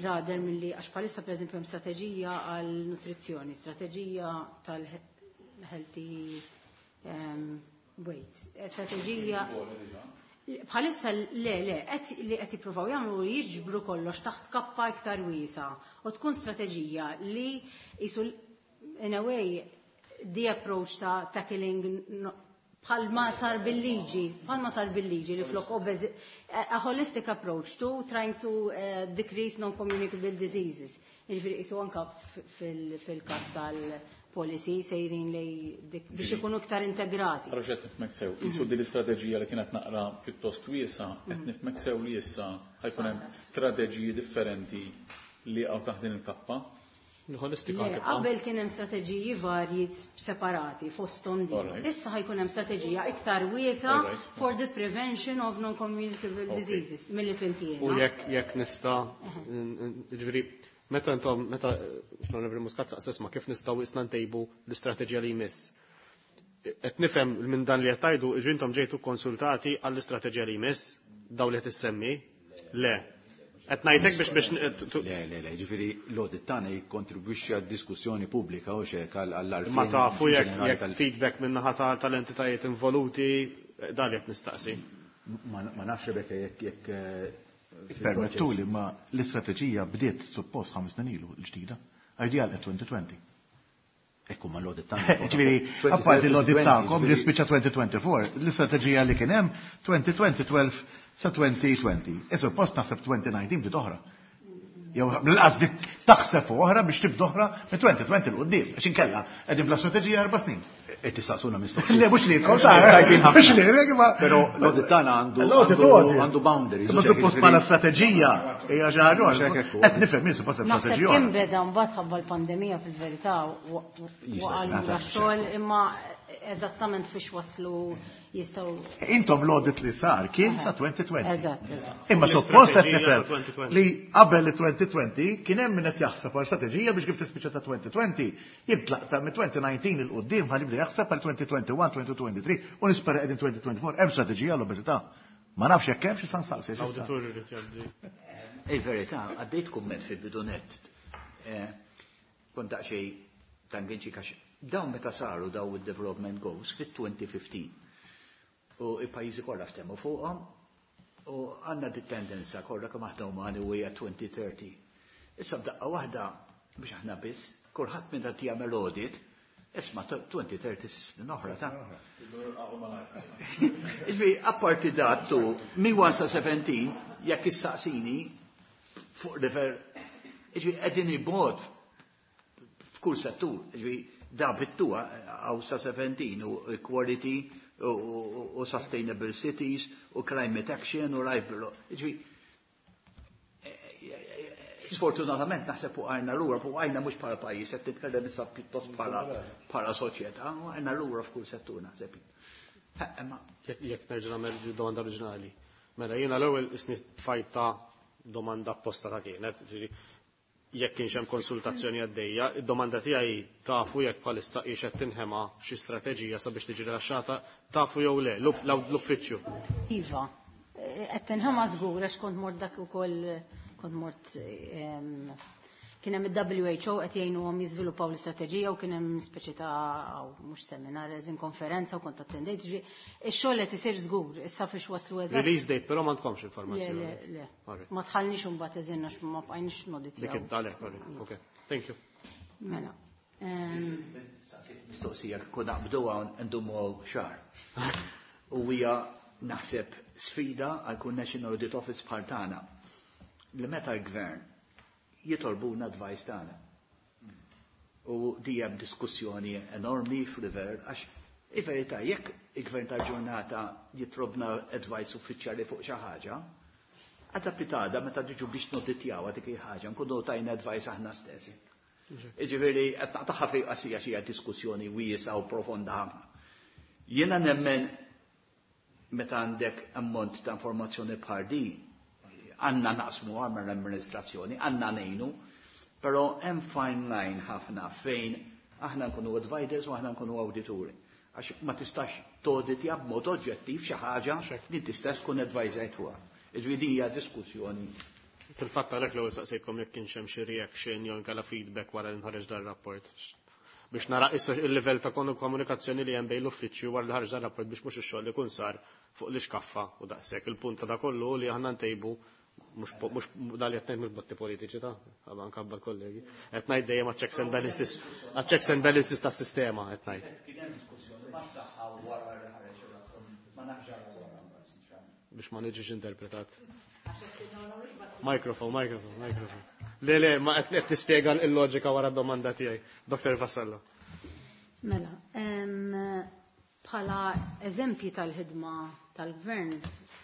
rather milli għax bħalissa pereżempju hemm strateġija għal nutrizzjoni, strateġija tal-healthy um, weight, eh, strateġija Bħalissa le, le, qed li qed jippruvaw jagħmlu jiġbru kollox taħt kappa iktar wiesa u tkun strateġija li jisu in a way the approach ta' tackling no- bħalma sar bil-liġi, bħalma sar bil-liġi li flok obezi, a holistic approach to trying to uh, decrease non-communicable diseases. Jiġifieri jisu anka fil-kas tal-policy sejrin li dik- biex ikunu iktar integrati. Allora qed nifhmek sew, jisu din l-istrateġija li kienet naqra pjuttost wiesa, qed nifhmek sew li issa ħa jkun hemm strateġiji differenti li għaw taħt din il-kappa. Holistika Le, tibqa'. Qabel kien hemm strateġiji varji separati fosthom din. Alright. Issa ħa jkun hemm strateġija iktar wiesa Alright. for the prevention of non-communicable Okay. diseases milli fhimt jiena. U jekk jekk nista' ġifieri meta intom meta l-Onorevoli Muscat saqsesma kif nistgħu isna ntejbu l-istrateġija li jmiss. Qed nifhem minn dan li qed tgħidu ġi intom ġejtu konsultati għall-istrateġija li jmiss daw li qed issemmi? Le. Qed ngħidlek biex biex Le, le, le, ġifieri l-audit tagħna jikkontribwixxi għad-diskussjoni pubblika u xek għall-għarfien. ma tafu jekk ġenerali jekk tal- feedback minn naħa ta- tal-entitajiet involuti dan li qed nistaqsi. Ma ma nafx Rebecca jekk jekk eh, Permettu li ma l-istrateġija bdiet suppost ħames snin ilu l-ġdida. Ideal at twenty twenty. Ekku ma l-audit tagħna. Ġifieri, apparti l-audit tagħkom li spiċċa twenty twenty-four, l-istrateġija li kien hemm twenty twenty twelve sa twenty twenty. E suppost naħseb twenty nineteen bdiet oħra. Jew l-qas bdiet taħseb fuq oħra biex tibda oħra minn twenty twenty 'l quddiem. Għax inkella qegħdin bla strateġija erba' snin. Qed tistaqsuna mistoqsija. Le, mhux lilkom, sa. Tajbin ħafna. Mhux lilek, ma. Però l-audit tagħna għandu L-audit għandu- audit. għandu boundaries. Ma suppost bħala strateġija hija xi ħaġa Mhux oħra. hekk ekku. Qed nifhem jien suppost Naħseb strateġija kien oħra. beda mbagħad ħabba l-pandemija fil-verità Jista' waqal naħseb xogħol imma eżattament fiex waslu jistgħu. Intom l-audit li sar kien sa twenty twenty. Eżatt, eżatt. Imma suppost qed L-istrateġija nifhem sa twenty twenty. li qabel il-twenty twenty kien hemm min qed jaħseb għal strateġija biex kif tispiċċa ta' twenty twenty jitlaq ta' minn twenty nineteen 'il quddiem ħalli jibda jaħseb għal twenty twenty-one, twenty twenty-three u nispera qegħdin twenty twenty-four hemm strateġija l-obeżità. Ma nafx jekk hemm xi san saqsi. L-awditur irid jgħaddi. Il-verità, għaddejt kumment fil-bidu nett. Eh, Kont daqsxejn tangenċi kax dawn meta saru daw il-development goals fit-twenty fifteen. U il-pajjiżi kollha ftehmu fuqhom u għandna di tendenza kollha kemm aħna umani u hija twenty thirty. Issa b'daqqa waħda biex aħna biss, kulħadd minn qed jagħmel audit, isma' twenty thirty snin oħra ta'. Iġbi, apparti datu, mi one sa seventeen, jekk issaqsini fuq level, iġbi, qegħdin ibod f'kull settur, iġbi, da bittuha għaw sa seventeen u equality u, u, u sustainable cities u climate action u life below. Iġbi, sfortunatament naħseb fuq għajna lura, fuq għajna mhux bħala pajjiż, qed titkellem issa pjuttost bħala bħala soċjetà, u għajna lura f'kull settur naħseb. Ha, Imma Jekk jekk nerġa' nagħmel domanda oriġinali. Mela jiena l-ewwel isni tfajta domanda apposta ta' kienet, ġifieri jekk kienx hemm konsultazzjoni għaddejja, id-domanda tiegħi tafu jekk bħalissa qiex qed tinħema xi strateġija sabiex tiġi rilaxxata, tafu jew le, l- l-uffiċċju. Iva, eh, qed tinħema żgur għax kont mort dak ukoll kont mort em, Kien hemm il-W H O qed jgħinuhom jiżviluppaw l-istrateġija u kien hemm speċi ta' mhux seminar, eżin konferenza u kont attendejt. Ix-xogħol qed isir żgur, issa fiex waslu eżatt. Release date, però m'għandkomx informazzjoni. Le, le, le. Ma tħallniex imbagħad eżin għax ma bqajniex noditjaw. Dik għalhekk, ok. Thank you. Mela. Mistoqsija kieku naqbdu hawn ndumu xahar. U hija naħseb sfida għal kull National Audit Office bħal tagħna li meta l-gvern jitolbuna advice tagħna. U di hemm diskussjoni enormi f'River għax il-verità jekk il-gvern tal-ġurnata jitlobna advice uffiċjali fuq xi ħaġa, għada pitgħada meta diġu biex noditjaw dik il-ħaġa, nkunu tajna advice aħna stess. Iġifieri qed naqtaħħa fej qasija xi diskussjoni wiesgħa u profonda ħafna. Jiena nemmen meta għandek ammont ta' informazzjoni bħal di, għandna naqsmu għamma l-amministrazzjoni, għandna ngħinu, però hemm fine line ħafna fejn aħna nkunu advisors u aħna nkunu awdituri. Għax ma tistax toditja b'mod oġġettiv xi ħaġa li tista' tkun advisor fuqha. Iġifieri hija diskussjoni. Fil-fatt għalhekk l-ewwel saqsejtkom jekk kienx hemm xi reaction jew inkella feedback wara li nħareġ dan rapport. Biex nara issa il-livell ta' komunikazzjoni li hemm bejn l-uffiċċju wara li ħareġ dan rapport biex mhux ix-xogħol li kun sar fuq l-iskaffa u daqshekk. Il-punt ta' kollu li aħna ntejbu mhux mhux dal qed ngħid mhux botti politiċi ta' għaban kabba kollegi. Qed ngħid dejjem checks and balances, checks and balances tas-sistema qed ngħid. Kien hemm diskussjoni mas-saħħa wara li ħareġ ir-rapport. Ma nafx wara. Biex ma niġix interpretat. Microphone, microphone, microphone. Le, le, ma qed tispjega l-loġika wara d-domanda tiegħi. Doktor Vassallo. Mela, bħala eżempji tal-ħidma tal-gvern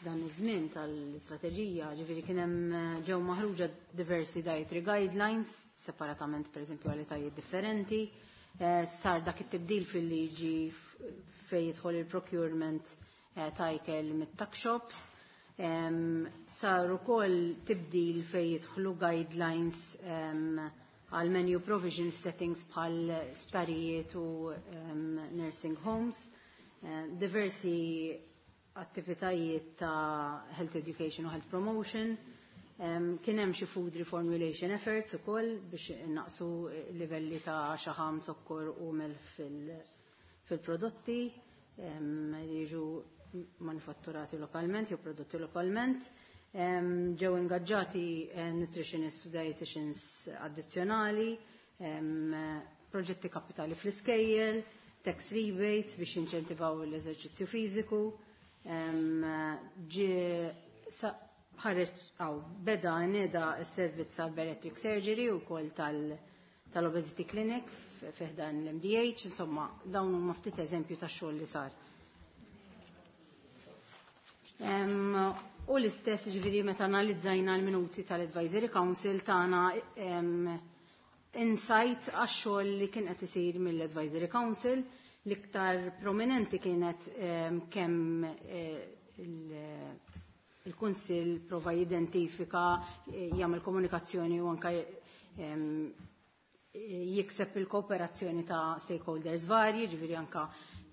dan iż-żmien tal-istrateġija, ġifieri kien hemm ġew maħruġa diversi dietary guidelines, separatament pereżempju għal etajiet differenti, eh, sar dak it-tibdil fil-liġi fejn jidħol il-procurement eh, ta' ikel mit-tuck shops, sar ukoll tibdil fejn jidħlu guidelines għal menu provision settings bħal sptarijiet u nursing homes, eh, diversi attivitajiet ta' health education u health promotion, kien hemm xi food reformulation efforts ukoll biex naqsu livelli ta' xaħam, zokkor u melħ fil-prodotti li jiġu manifatturati lokalment jew prodotti lokalment. Ġew ingaġġati eh, nutritionists u dietitians addizzjonali, proġetti kapitali fl-iskejjel, tax rebates biex inċentivaw l-eżerċizzju fiżiku, ġi ħareġ għaw beda neda s-servizz tal bariatric surgery u kol tal-obesity clinic fi ħdan l-M D H, insomma, dawn huma ftit eżempju ta' xogħol li sar. U l-istess ġifieri meta analizzajna l-minuti tal-Advisory Council tagħna insight għax-xogħol li kien qed isir mill-Advisory Council. L-iktar prominenti kienet kemm eh, il-Kunsill prova jidentifika, eh, jagħmel komunikazzjoni u anke jikseb il-kooperazzjoni ta' stakeholders varji, ġifieri anka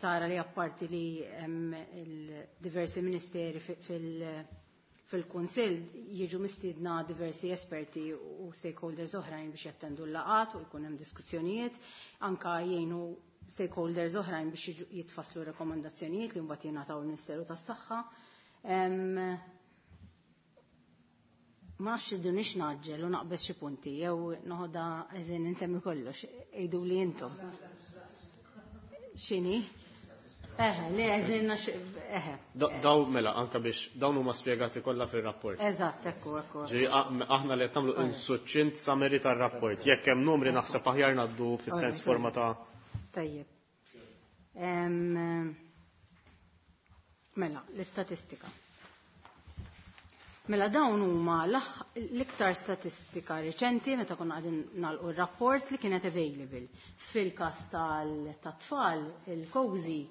tara li apparti li diversi ministeri fil-Kunsill jiġu mistiedna diversi esperti u stakeholders oħrajn biex jattendu l-laqat u jkun hemm diskussjonijiet, anka jgħinu stakeholders oħrajn biex jitfasslu rekomendazzjonijiet li mbagħad jingħataw il-Ministeru tas-Saħħa. Ma nafx iddu nix naġġel u naqbeż xi punti jew noħodha eżin insemmi kollox, għidu li intom. X'inhi? Eħe, le eżin eħe. Daw mela anka biex dawn huma spjegati kollha fir-rapport. Eżatt, ekku, ekku. Ġifieri aħna li qed nagħmlu succinct summary tar-rapport. Jekk hemm numri naħseb aħjar ngħaddu fis-sens forma ta' Tajjeb. Mela, l-istatistika. Mela dawn huma l-iktar statistika reċenti meta konna qegħdin nagħlqu r-rapport li kienet available. Fil-każ tat-tfal, il-COSY,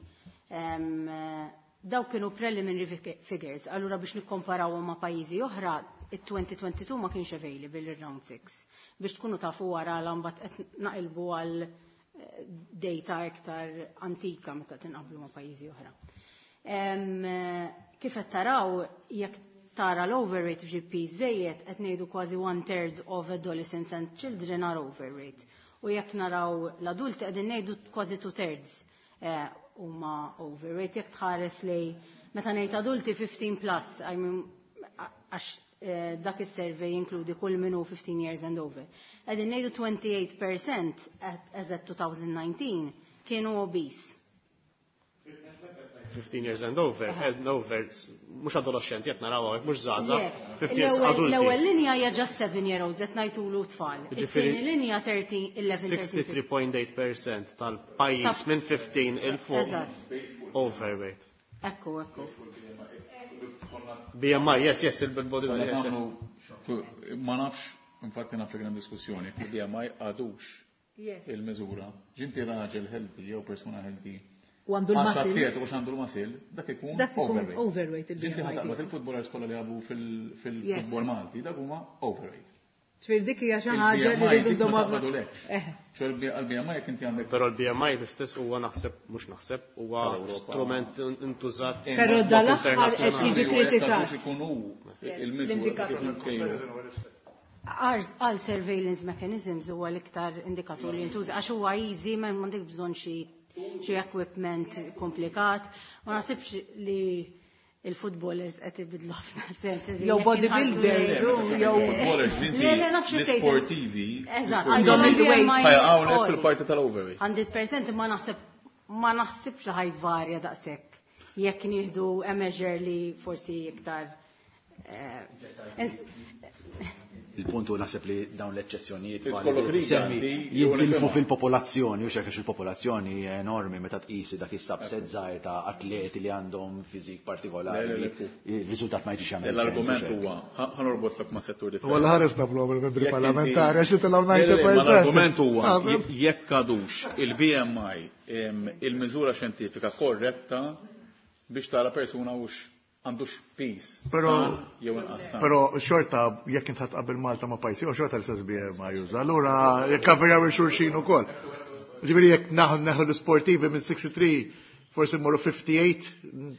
daw kienu preliminary figures. Allura biex nikkomparaw ma' pajjiżi oħra, it-twenty twenty-two ma kienx available il-round six. Biex tkunu tafu wara l-ambat qed naqilbu għal eh, data iktar antika meta tinqablu ma' pajjiżi oħra. Kif qed taraw, jekk tara l-overweight f'G P żejjed, qed ngħidu kważi one third of adolescents and children are overweight. U jekk naraw l-adulti, qegħdin ngħidu kważi two thirds eh, huma overweight. Jekk tħares lej meta ngħid adulti, fifteen plus, I mean, għax eh, dak is-survey jinkludi kull min hu fifteen years and over. Qegħdin ngħidu twenty-eight percent as at twenty nineteen kienu obese. fifteen years and over, and over, mhux adolescenti, qed naraw hawnhekk, mhux żgħażagħ, fifteen years L-ewwel adulti. L-ewwel linja hija just seven year olds, qed ngħidulu tfal. Jiġifieri It-tieni linja thirteen, eleven, thirteen. sixty-three point eight percent tal-pajjiż minn fifteen 'il fuq Eżatt. overweight. Ekku, ekku. B M I, yes, yes, il-body, yes, yes. Ma nafx, infatti naf li kien hemm diskussjoni, il-B M I għadux il-miżura. Ġinti raġel healthy jew persuna healthy. U għandu Għax l-muscle. atlet u għandu l-muscle, dak ikun Dak ikun overweight. Overweight Ġinti il-B M I ħa taqbad tiegħu. il-footballers kollha li għabu fil-football Malti, dak huma overweight. Ġifieri dik hija xi ħaġa li Il-B M I rridu dik ma nżommu. taqbadulekx. Eh. ċe għal-B M I jekk inti għandek Però l-B M I l-istess huwa naħseb, mhux naħseb, huwa Tal-Ewropa. strument intużat Però mod dal-aħħar qed internazzjonali. jiġi kritikat. Għadux ikun hu il-miżura L-indikatur. kif nkejlu. Għal surveillance mechanisms huwa l-iktar indikatur li jintuża għax huwa easy, ma m'għandek bżonn xi xi equipment komplikat. Ma naħsibx li il-footballers qed ibidlu ħafna sens. Jew bodybuilders, jew Footballers, inti Le, le, nafx xi tgħid. l-sportivi, Eżatt, l-sportivi għandhom il-weight. ħajaqgħulek Għoli. fil-parti tal-overweight. mija fil-mija, ma naħseb ma naħsibx li ħa jvarja daqshekk jekk nieħdu a measure li forsi iktar eh, ins- Il-punt hu naħseb li dawn l-eċċezzjonijiet Ikollok validi riga semmi li jew jintilfu nifhimha. fil-popolazzjoni, u xekk il-popolazzjoni hija enormi meta tqisi dak is-subset żgħir ta' atleti li għandhom fiżik Le, partikolari. Le, le, Il-riżultat ma jiġix jagħmel sens, L-argument u xekk. huwa, ħa norbotlok ma' settur differenti. Walla ħares nablu għal membri Jekk inti- parlamentari, għax titilgħu Le, le, le, ma disgħin fil-mija. l-argument huwa jekk għadux il-B M I em, il-miżura xjentifika korretta biex tara persuna hux għandux piż Però- san jew inqas san. Però xorta, jekk int tqabbel Malta ma' pajjiżi, u xorta l-istess B M I juża. Allura jekk kaverjaw il-xulxin ukoll. Ġifieri jekk naħu neħu l-sportivi minn sixty-three, forsi morru fifty-eight,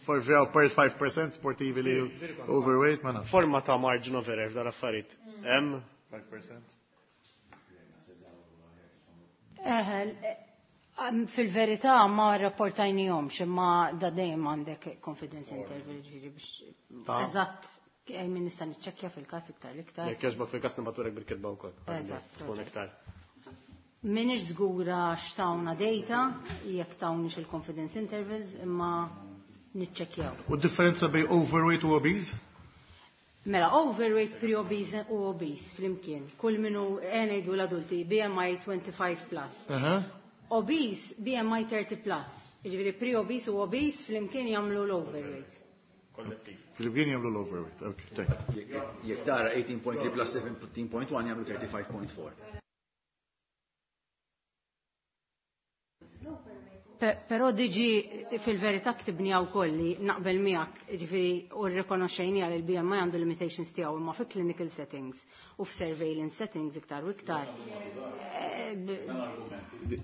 forsi five percent sportivi li overweight, ma nafx. Forma ta' margin of error f'dal affarijiet. Hemm five percent. Eh, eh, Fil-verità ma rapportajnihomx, imma da dejjem għandek confidence interval, ġifieri biex Ta' eżatt eh, min nista' niċċekkja fil-każ iktar l-iktar. Jekk jogħġbok fil-każ nibagħtulek bil-kitba wkoll. Eżatt. Tkun iktar. Minix żgura x'tawna data, jekk tawnix il-confidence intervals, imma niċċekkjaw. U differenza bejn overweight u obese? Mela, overweight, pre-obese u obese flimkien. Kull minu ngħidu l-adulti, B M I twenty-five plus. Aha. Obese, B M I thirty plus. Jiġifieri pre-obese u obese flimkien jagħmlu l-overweight. Kollettiv. Flimkien jagħmlu l-overweight. Ok, thank you. Jekk jekk tara eighteen point three plus seventeen point one jagħmlu thirty-five point four. Pe- Però diġi fil-verità ktibni għaw kolli naqbel miegħek, ġifieri u rrikonoxxejni għal il-B M I għandu limitations tiegħu, imma fi clinical settings u f'surveillance settings iktar u iktar. Eh, b-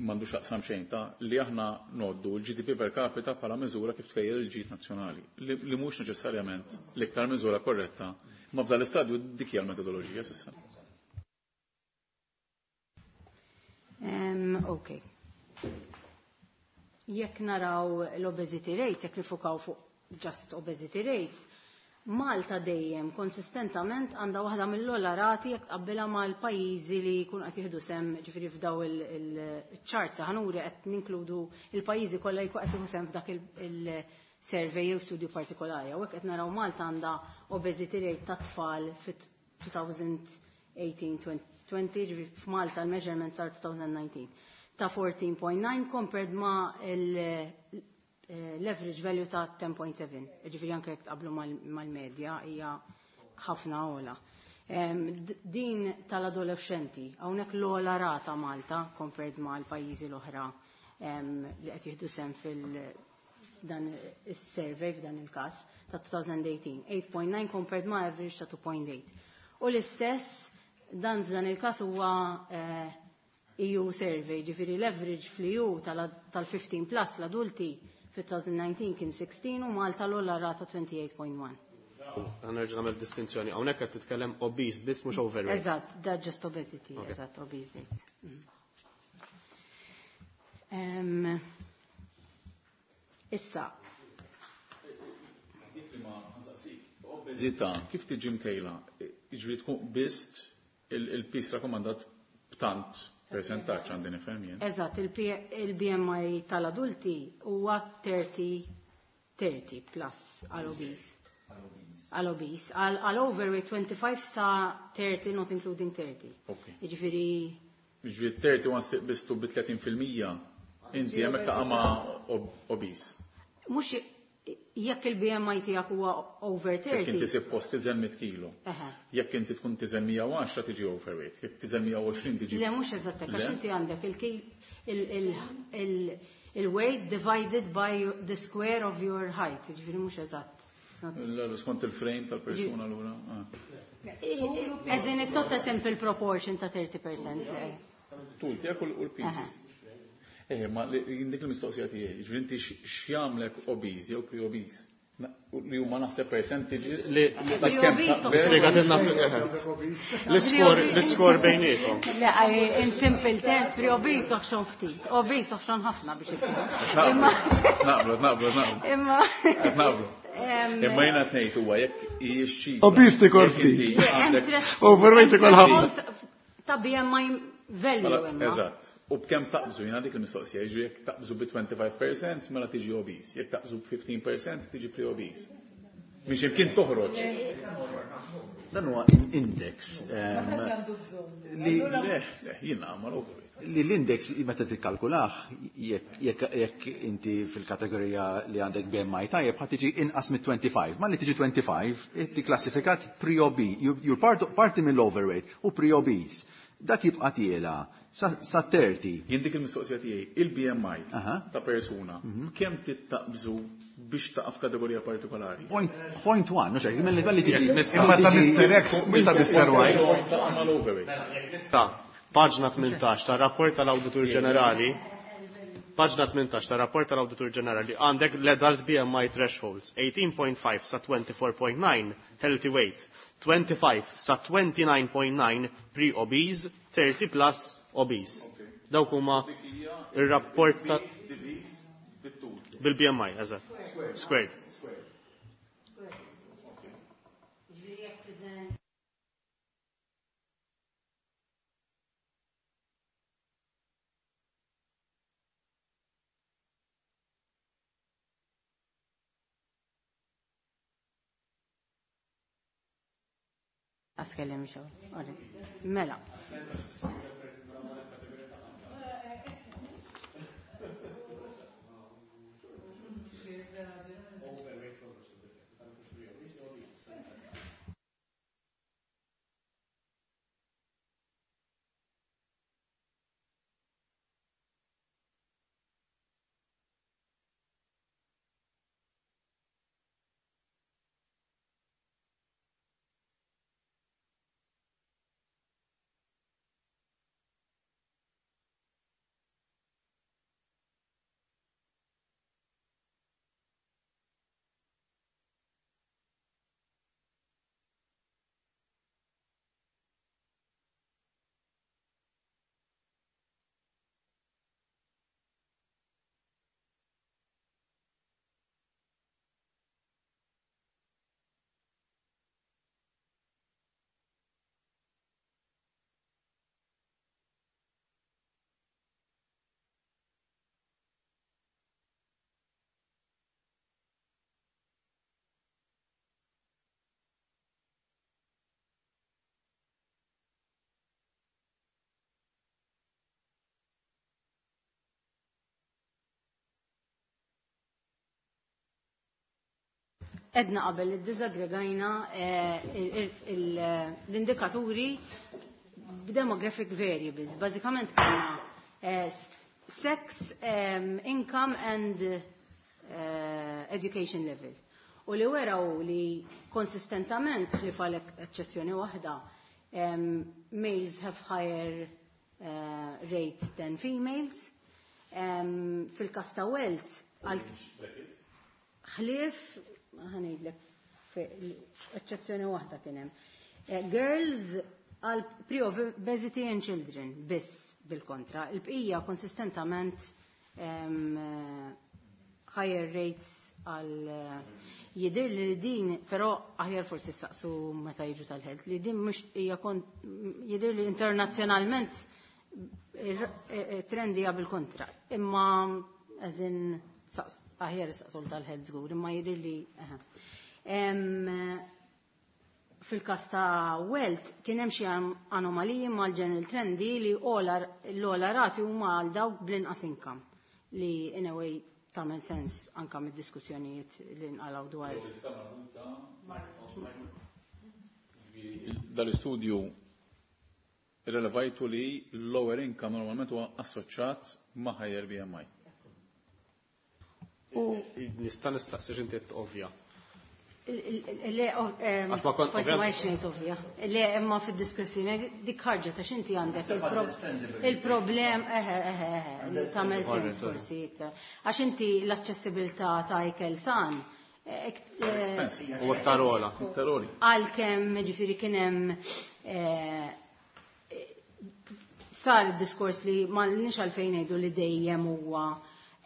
M'għandu xaqsam xejn ta' li aħna noddu l-G D P per capita bħala miżura kif tkejjel il-ġid nazzjonali, li li mhux neċessarjament l-iktar miżura korretta, ma f'dan l-istadju dik hija l-metodoloġija s'issa. Em, Ok. Jekk naraw l-obesity rates, jekk nifukaw fuq just obesity rates, Malta dejjem konsistentament għandha waħda mill-ogħla rati jekk tqabbilha mal-pajjiżi li jkunu qed jieħdu sem, ġifieri f'daw il-charts ħa nuri qed ninkludu il-pajjiżi kollha jkunu qed jieħdu sem f'dak il-survey jew studju partikolari. Hawnhekk qed naraw Malta għandha obesity rate ta' tfal fit-twenty eighteen twenty, ġifieri f'Malta l-measurement sar twenty nineteen ta' fourteen point nine compared ma' l-average value ta' ten point seven. Ġifieri anke jekk tqablu mal-medja hija ħafna ogħla. Din tal-adolescenti, hawnhekk l-ogħla rata Malta compared mal-pajjiżi l-oħra li qed jieħdu sem fil dan is-survey f'dan il-każ ta' twenty eighteen. eight point nine compared ma' average ta' two point eight. U l-istess dan f'dan il-każ huwa E U survey, ġifieri l-average fl-E U tal-fifteen plus l-adulti fit-twenty nineteen kien sixteen u Malta l-ogħla rata twenty-eight point one. Nerġa' nagħmel distinzjoni. Hawnhekk qed titkellem obese biss mhux overweight. Eżatt, da just obesity, eżatt, obese rates. Issa. Obeżità, kif tiġi mkejla? Jiġifieri tkun qbist il-piż rakkomandat b'tant percentaġġ għandi nifhem jien. Eżatt, il-B M I tal-adulti huwa thirty thirty plus għal obese. Għal obese. Għal overweight twenty-five sa thirty, not including thirty. Jiġifieri Jiġifieri thirty once tiqbistu bi tletin fil-mija, inti hemmhekk taqa' ma' obese. Mhux jekk il-B M I tiegħek huwa over thirty. Jekk inti suppost tiżen mitt kilo. Jekk inti tkun tiżen mija u għaxra tiġi overweight, jekk tiżen mija u għoxrin tiġi. Le, mhux eżatt hekk, għax inti għandek il-weight divided by the square of your height, jiġifieri mhux eżatt. Skont il-frame tal-persuna allura. As in, it's not a simple proportion ta' thirty percent. Tul tiegħek u l-piż. Eh, ma dik il-mistoqsija tiegħi, jiġifieri inti x'jagħmlek obese jew pre-obese? Li huma naħseb percentages. Li l-iskor bejniethom. Le, in simple terms, pre-obese oħxon ftit, obese oħxon ħafna biex isir. Naqblu, naqblu, naqblu. Imma. Naqblu. Imma jiena tnejt huwa jekk hijiex Obese tikol ftit. Overweight tikol ħafna. Ta' B M I value imma. Eżatt. U b'kemm taqbżu, jiena dik il-mistoqsija, jiġri jekk taqbżu bi twenty-five percent mela tiġi obese, jekk taqbżu bi fifteen percent tiġi pre-obese. Mhix imkien toħroġ. Dan huwa index. Li le, jiena ma Li l-index meta tikkalkulah, jekk inti fil-kategorija li għandek B M I tajjeb, ħa tiġi inqas mit twenty-five. Ma li tiġi twenty-five, inti klassifikat pre-obese, you're parti mill-overweight u pre-obese. Dak jibqa' tiela sa thirty. Jien dik il-mistoqsija tiegħi, il-B M I ta' persuna, kemm tittaqbżu biex taqa' f'kategorija partikolari? Point, point one, mhux hekk, malli tiġi. Imma ta' Mister X, mhux ta' Mister Y. Ta' paġna tmintax ta' rapport tal-Awditur Ġenerali, paġna tmintax ta' rapport tal-Awditur Ġenerali għandek l-adult B M I thresholds, eighteen point five sa twenty-four point nine healthy weight, twenty-five sa twenty-nine point nine pre-obese, thirty plus obese. Dawk huma ir-rapport ta' bil-B M I, eżatt. Squared. Ġifieri jekk tiżen Askellem xogħol. Mela. Edna qabel li disaggregajna l-indikaturi b'demographic variables. Bażikament kellna sex, income and education level. U li weraw li konsistentament, li falek eċċezzjoni waħda, males have higher uh, rates than females. Um, Fil-kas ta' wealth, ħlief, ħa ngħidlek, Eċċezzjoni waħda kien hemm. Eh, girls għal pre-obesity and children biss bil-kontra. Il-bqija konsistentament em, higher rates għal jidir li din, però aħjar forsi saqsu meta jiġu tal-health, li din mhux hija jidir li internazzjonalment trend hija bil-kontra. Imma as in aħjar saqsu tal-health żgur, imma jidir li fil-kas ta' wealth kien hemm xi anomaliji mal-general trendi li l-ogħla rati huma għal dawk bl-inqas income li in a way tagħmel sens anka mid-diskussjonijiet li nqalgħu dwar. Dal-istudju irrelevajtu li l-lower income normalment huwa assoċjat ma' higher B M I. U Nista' nistaqsi, x'inti ovvja. Le, Għax ma kont- forsi ma ngħid ovvja. Le, imma fid-diskussjoni dik ħarġa ta' x'inti għandek il-problem, eħe, eħe, eħe, li tagħmel sens forsi iktar. Għax inti l-aċċessibilità ta' ikel san eh, eh, U iktar ogħla. Iktar ogħli. Għalkemm ġifieri kien hemm eh, sar id-diskors li ma nix għalfejn ngħidu li dejjem huwa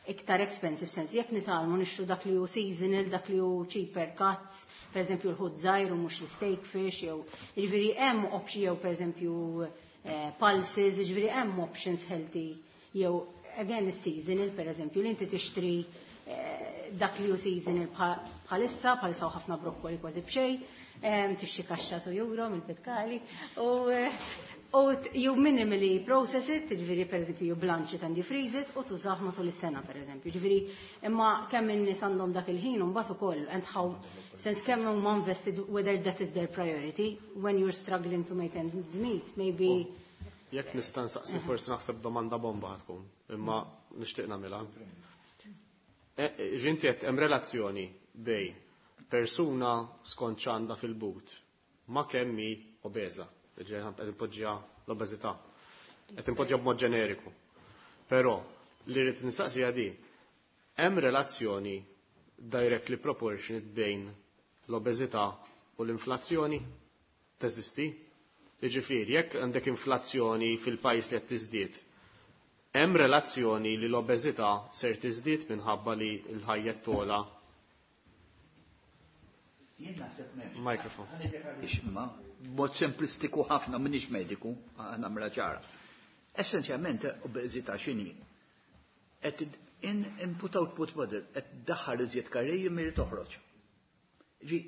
iktar expensive, sens jekk nitgħallmu nixtru dak li hu seasonal, dak li hu cheaper cuts, per eżempju l-ħut żgħir u mhux l-steak fish, jew jiġifieri hemm option, jew per eżempju eh, pulses, jiġifieri hemm options healthy, jew again is-seasonal, per eżempju li inti tixtri eh, dak li hu seasonal bħalissa, bħalissa ħafna brokkoli kważi b'xejn, em, tixtri kaxxa two euro mill-Pitkali u eh, u you minimally process it, ġifieri per eżempju you blanch it and you freeze it, u tużah matul is-sena per eżempju. Ġifieri imma kemm in-nies għandhom dak il-ħin u mbagħad ukoll and how sens kemm huma invested, whether that is their priority when you're struggling to make ends meet, maybe. Jekk nista' nsaqsi, forsi naħseb domanda bomba tkun, imma nixtieq nagħmilha. Ġinti qed hemm relazzjoni bejn persuna skont x'għandha fil-but ma' kemm hi obeża. Ġej qed inpoġġiha l-obeżità. Qed inpoġġiha b'mod ġeneriku. Però li rrid nistaqsija di, hemm relazzjoni directly proportionate bejn l-obeżità u l-inflazzjoni? Teżisti? Jiġifieri, jekk għandek inflazzjoni fil-pajjiż li qed tiżdied, hemm relazzjoni li l-obeżità ser tiżdied minħabba li l-ħajja togħla? Jien naħseb m'hemmx. Microphone. Imma mod semplistiku ħafna, m'iniex mediku, nagħmilha ċara. Essenzjalment obeżità x'inhi? Qed in input output model, qed daħħal iżjed kaloriji milli toħroġ. Ġi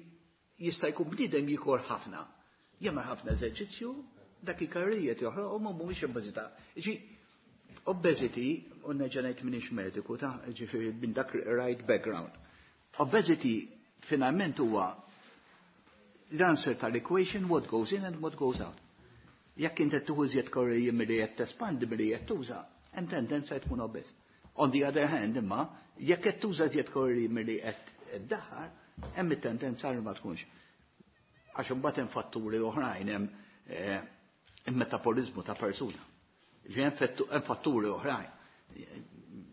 jista' jkun bniedem jikol ħafna. Jagħmel ħafna eżerċizzju, dak il-kaloriji qed joħroq u mhumiex obeżità. Ġi obesity, u nerġa' ngħid m'iniex mediku ta', ġifieri minn dak right background. Obesity finalment huwa l-answer tal-equation what goes in and what goes out. Jekk inti tieħu iżjed kaloriji milli qed tespandi, milli qed tuża, hemm tendenza tkun obeż. On the other hand, imma, jekk qed tuża iżjed kaloriji milli qed iddaħħal, hemm it-tendenza li ma tkunx. Għax imbagħad hemm fatturi oħrajn, hemm eh, il-metabolizmu ta' persuna. Ġi hemm fatturi oħrajn.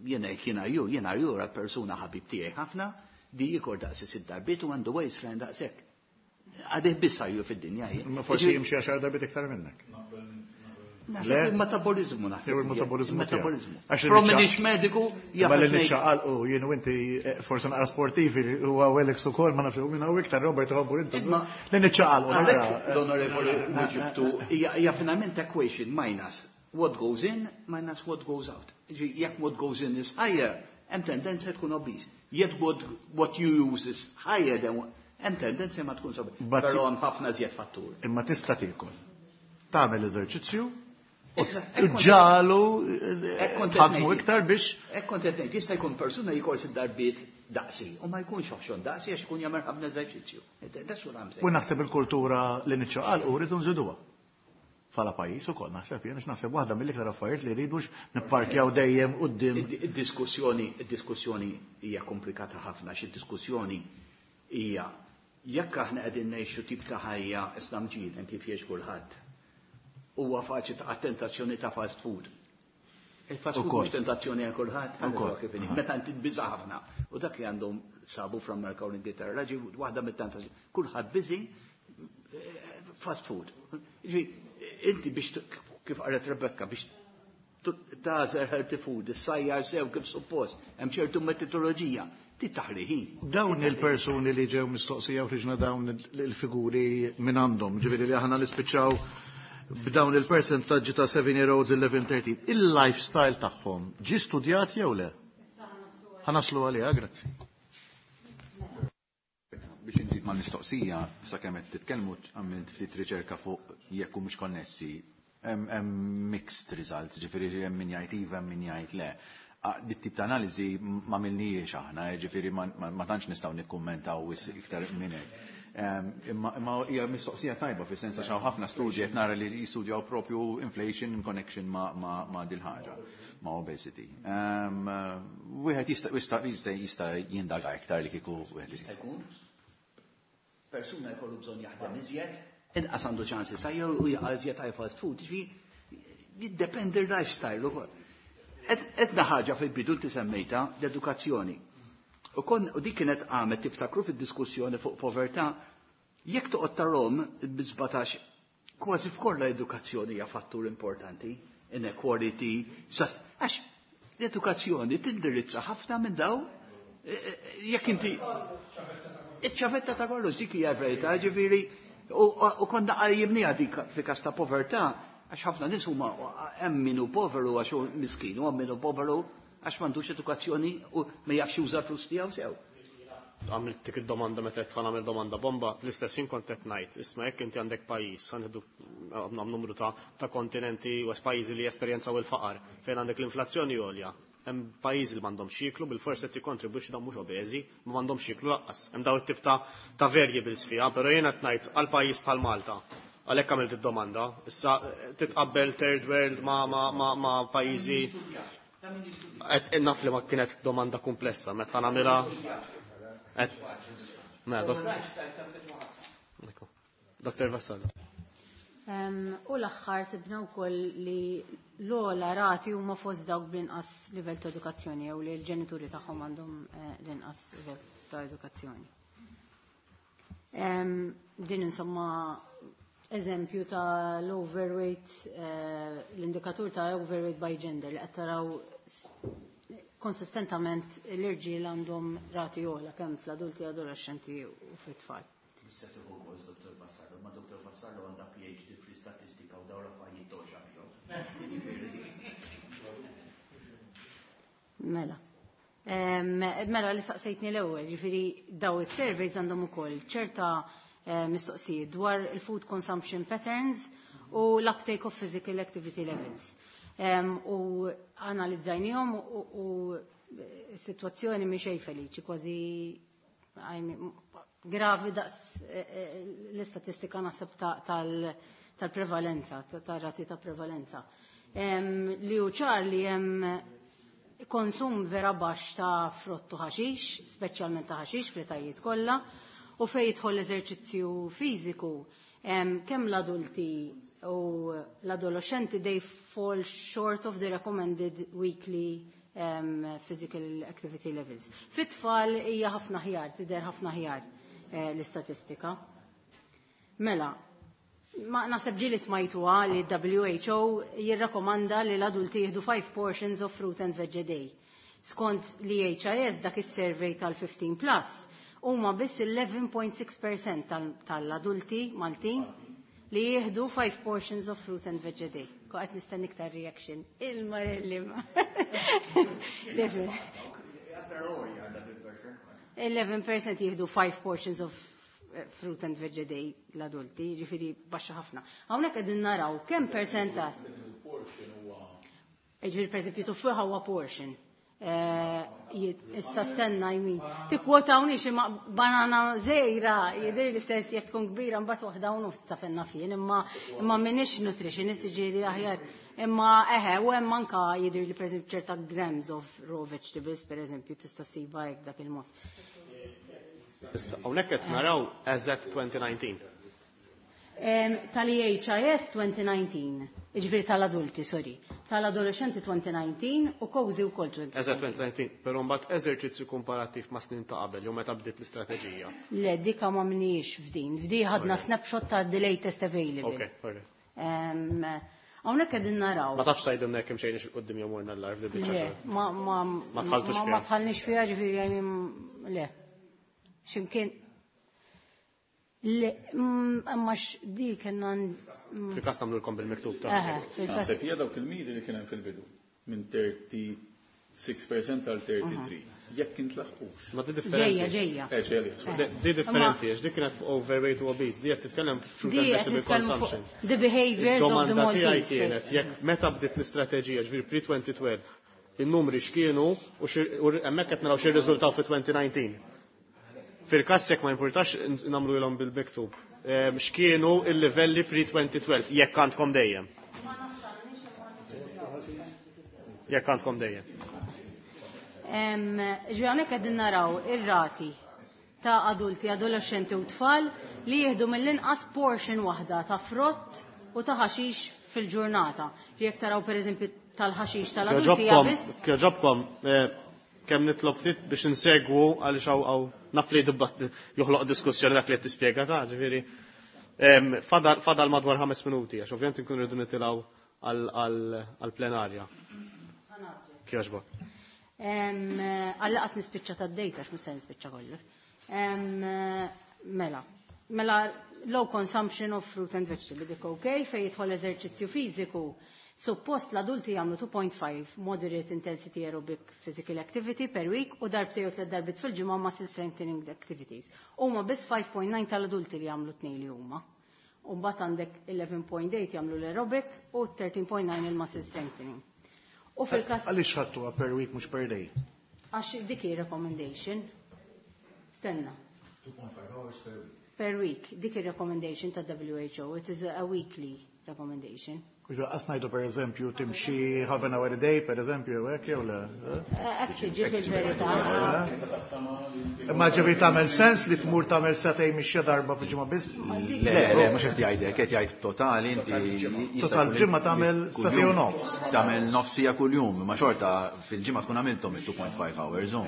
Jiena jiena ju, jiena ju persuna ħabib tiegħi ħafna di jikol daqsi sitt darbiet u għandu waistline daqshekk. Għadih bissa ju fid-dinja. Ma forsi jimxi għaxar darbiet iktar minnek. Naħseb il-metabolizmu naħseb. Jew il-metabolizmu. Il-metabolizmu. Għax li Però niċċa- m'iniex mediku, Ma li jaf. niċċaqalqu jien u inti eh, forsi naqra sportivi huwa Welix ukoll, ma nafx minn hawn iktar Robert Hobur intu. Imma- Li niċċaqalqu Għalhekk naqra. l-onorevoli Wieġibtu hija hija finalment equation minus what goes in minus what goes out. Ġi, jekk what goes in is higher, hemm tendenza tkun obese. Yet what, what you use is higher than what, hemm tendenza ma tkunx obese. But- Però hemm ħafna żjed fatturi. Imma tista' tiekol. Tagħmel eżerċizzju u ġalu Hekk kont qed ħadmu ngħid. iktar biex Hekk kont qed ngħid, jista' jkun persuna jikol sitt darbiet daqsi u ma jkunx oħxon daqsi għax ikun jagħmel ħafna eżerċizzju. That's what I'm saying. U naħseb il-kultura li niċċaqalqu rridu nżiduha. Bħala pajjiż ukoll naħseb jien, naħseb waħda mill-iktar affarijiet li rridux nipparkjaw dejjem quddiem. Id-diskussjoni, id-diskussjoni hija komplikata ħafna, xi diskussjoni hija jekk aħna qegħdin ngħixu tip ta' ħajja islamġiden kif jgħix kulħadd. Huwa faċli ta' tentazzjoni ta' fast food. Il-fast food mhux tentazzjoni għal kulħadd, kif inhi. Meta inti tbiża' ħafna. U dak li għandhom sabu fl-Amerika u l-Ingilterra, ġi waħda mit-tentazzjoni. Kulħadd busy fast food. Ġi, inti biex kif qalet Rebecca biex tagħżel healthy food, issajjar sew kif suppost, hemm ċertu metodoloġija, titaħli ħin. Dawn il-persuni li ġew mistoqsija u ħriġna dawn il-figuri minn għandhom, ġifieri li aħna nispiċċaw b'dawn il-percentaġġi ta' seven year olds eleven thirteen, il-lifestyle tagħhom ġi studjat jew le? Ħa naslu għaliha, grazzi. Biex inżid mal-mistoqsija, sakemm qed titkellmu għamilt ftit riċerka fuq jekk mhux konnessi, hemm mixed results, ġifieri hemm min jgħid iva, hemm min jgħid le. Dit tip ta' analiżi ma milniex aħna, ġifieri ma tantx nistgħu nikkummentaw iktar minn hekk. Imma hija mistoqsija tajba fis-sens għax hawn ħafna studji qed nara li jistudjaw propju inflation in connection ma' dil ħaġa, ma' obesity. Wieħed jista' jista' jindaga iktar li kieku wieħed jista' jkun. Persuna jkollu bżonn jaħdem iżjed, inqas għandu ċans isajjar u jaqa' iżjed għal fast food, ġifieri jiddependi l-lifestyle ukoll. Etna ħaġa fil-bidu inti semmejta l-edukazzjoni. U kon u dik kienet qamet tiftakru fid-diskussjoni fuq povertà, jekk toqgħod tarhom bi sbatax kważi f'kollha edukazzjoni hija fattur importanti, inequality, għax l-edukazzjoni tindirizza ħafna minn daw jekk inti iċ-ċavetta ta' kollox dik hija verità, ġifieri u konna qajjimniha dik fi każ ta' povertà, għax ħafna nies huma hemm min hu poveru għax hu miskin, u hemm min hu poveru għax m'għandux edukazzjoni u ma jafx juża l-flus tiegħu sew. Għamilt dik id-domanda meta qed nagħmel domanda bomba, l-istess jien kont qed ngħid, isma' jekk inti għandek pajjiż, ħa nieħdu numru ta' ta' kontinenti u pajjiżi li jesperjenzaw il-faqar, fejn għandek l-inflazzjoni għolja. Hemm pajjiżi li m'għandhomx jieklu, bil-forsi qed jikkontribwixxu dawn mhux obeżi, ma m'għandhomx jieklu lanqas. Hemm dawn it-tip ta' ta' variables fiha, però jiena qed ngħid għal pajjiż bħal Malta. Għalhekk għamilt id-domanda. Issa titqabbel third world ma' ma' ma' ma' pajjiżi. Qed naf li ma kienet domanda komplessa, meta nagħmilha. Mela, Doktor Vassallo. U l-aħħar sibna wkoll li l-ogħla rati huma fost dawk bl-inqas livell ta' edukazzjoni jew li l-ġenituri tagħhom għandhom l-inqas livell ta' edukazzjoni. Din insomma eżempju ta' l-overweight, l-indikatur ta' overweight by gender li qed taraw konsistentament l-irġiel għandhom rati ogħla kemm fl-adulti, adolescenti u fit-tfal. Issa tieħu gost Doktor Vassallo, ma Doktor Vassallo għandha P H D fl-istatistika u dawn l-affarijiet toxa bihom. Mela. Mela li saqsejtni l-ewwel, ġifieri daw is-surveys għandhom ukoll ċerta mistoqsijiet dwar il-food consumption patterns u l-uptake of physical activity levels. U analizzajnihom u situazzjoni mhi xejn feliċi, kważi gravi daqs l-istatistika naħseb tal-prevalenza, tar-rati ta' prevalenza. Li hu ċar li hemm konsum vera baxx ta' frott u ħaxix, speċjalment ta' ħaxix fl-etajiet kollha, u fejn jidħol l-eżerċizzju fiżiku, kemm l-adulti u l-adolescenti they fall short of the recommended weekly um, physical activity levels. Fit-tfal hija ħafna ħjar, tidher ħafna ħjar eh, l-istatistika. Mela, ma naħseb ġieli smajtuha li W H O jirrakkomanda li l-adulti jieħdu five portions of fruit and veg a day. Skont l-E H I S dak is-survey tal-fifteen plus, huma biss eleven point six percent tal-adulti Maltin li jieħdu five portions of fruit and veg a day. Ko qed nistenni iktar reaction. Il-marelli ma. eleven percent jieħdu five portions of fruit and veg a day l-adulti, ġifieri baxxa ħafna. Hawnhekk qegħdin naraw kemm percentaġġ. Ġifieri pereżempju tuffiħa huwa portion. Issa stenna jmin. Tikkwotawni xi banana żgħira, jidher li sens jekk tkun kbira mbagħad waħda u nofs ta' fenna fien, imma imma m'iniex nutritionist, ġieli aħjar. Imma eħe, u hemm anka jidher li pereżempju ċerta grams of raw vegetables pereżempju tista' ssiba hekk dak il-mod. Hawnhekk qed naraw as at twenty nineteen. Tal-E H I S twenty nineteen, ġifieri tal-adulti, sorry, tal-adolescenti twenty nineteen u COSY u kol twenty nineteen. Eżatt, twenty nineteen, però mbagħad eżerċizzju komparattiv ma' snin ta' qabel, jew meta bdiet l-istrateġija. Le, dika ma mniex f'din. F'di ħadna snapshot ta' the latest available. Ok, alright. Hawnhekk qegħdin naraw. Ma tafx tgħidilna jekk imxejniex 'il quddiem jew morna l-lar f'di Le, biċċa. ma ma Ma dħaltux ma fiha. Ma dħalniex fiha, ġifieri għajni le. X'imkien le, mm, imma di kellna mm, Fil-każ nagħmlulkom bil-miktub ta' Eħe, fil-każ. Naħseb hija dawk il-miri li kien hemm fil-bidu minn thirty-six percent għal thirty-three. Jekk intlaħqux. Ma di differenti. Ġejja, ġejja. Eh, ġejja. Di- Di differenti, għax dik kienet fuq overweight u obese, di qed titkellem fruit Di and qed vegetable nitkellmu fuq consumption. the behaviors of the Id-domanda tiegħi Maltese. kienet jekk meta bdiet l-istrateġija, ġifieri pre-twenty twelve, in-numri x'kienu u xi- u hemmhekk qed naraw x'irriżultaw fi twenty nineteen. Fil-każ jekk ma importax nagħmlu ilhom bil-miktub. Ehm, X'kienu il-livelli pre-twenty twelve jekk għandkom dejjem. Jekk għandkom dejjem. Ġifieri hawnhekk qegħdin naraw ir-rati ta' adulti, adolescenti u tfal li jieħdu mill-inqas portion waħda ta' frott u ta' ħaxix fil-ġurnata. Jekk taraw, pereżempju, tal-ħaxix tal-adulti hija Kjoġobkom, biss kjoġobkom, eh, kemm nitlob ftit biex insegwu, għaliex hawn hawn naf li dibbat joħloq diskussjoni dak li qed tispjega ta' ġifieri. Em, Fadal fadal madwar ħames minuti, għax ovvjament nkunu rridu nitilgħu għall-plenarja. Kjoġbok. Għall-laqas nispiċċa tad-data, għax mhux se nispiċċa kollox. Em, Mela, mela low consumption of fruit and vegetable, dik okay, fej jidħol eżerċizzju fiżiku. Suppost l-adulti jagħmlu two point five moderate intensity aerobic physical activity per week u darbtejn u tliet darbiet fil-ġimgħa muscle strengthening activities. Huma biss five point nine tal-adulti li jagħmlu tnejn li huma. U mbagħad għandek eleven point eight jagħmlu l-aerobic u thirteen point nine il-muscle strengthening. U fil-każ Għaliex ħadtuha per week, mhux per day? Għax dik hi recommendation. Stenna. two point five hours per week. Per week, dik il-recommendation ta' W H O, it is a weekly recommendation. Kuġa, qas ngħidu per eżempju timxi half an hour a day, per eżempju, hekk jew le? Hekk tiġi fil-verità. Imma ġifieri tagħmel sens li tmur tagħmel sagħtejn mixja darba fil-ġimgħa biss? Le, le, mhux qed jgħidek, qed jgħid totali inti jista' Total jkun ġimgħa tagħmel kuljum- sagħtejn u nofs. Tagħmel nofsija kuljum, ma xorta fil-ġimgħa tkun għamilthom il-two point five hours. U.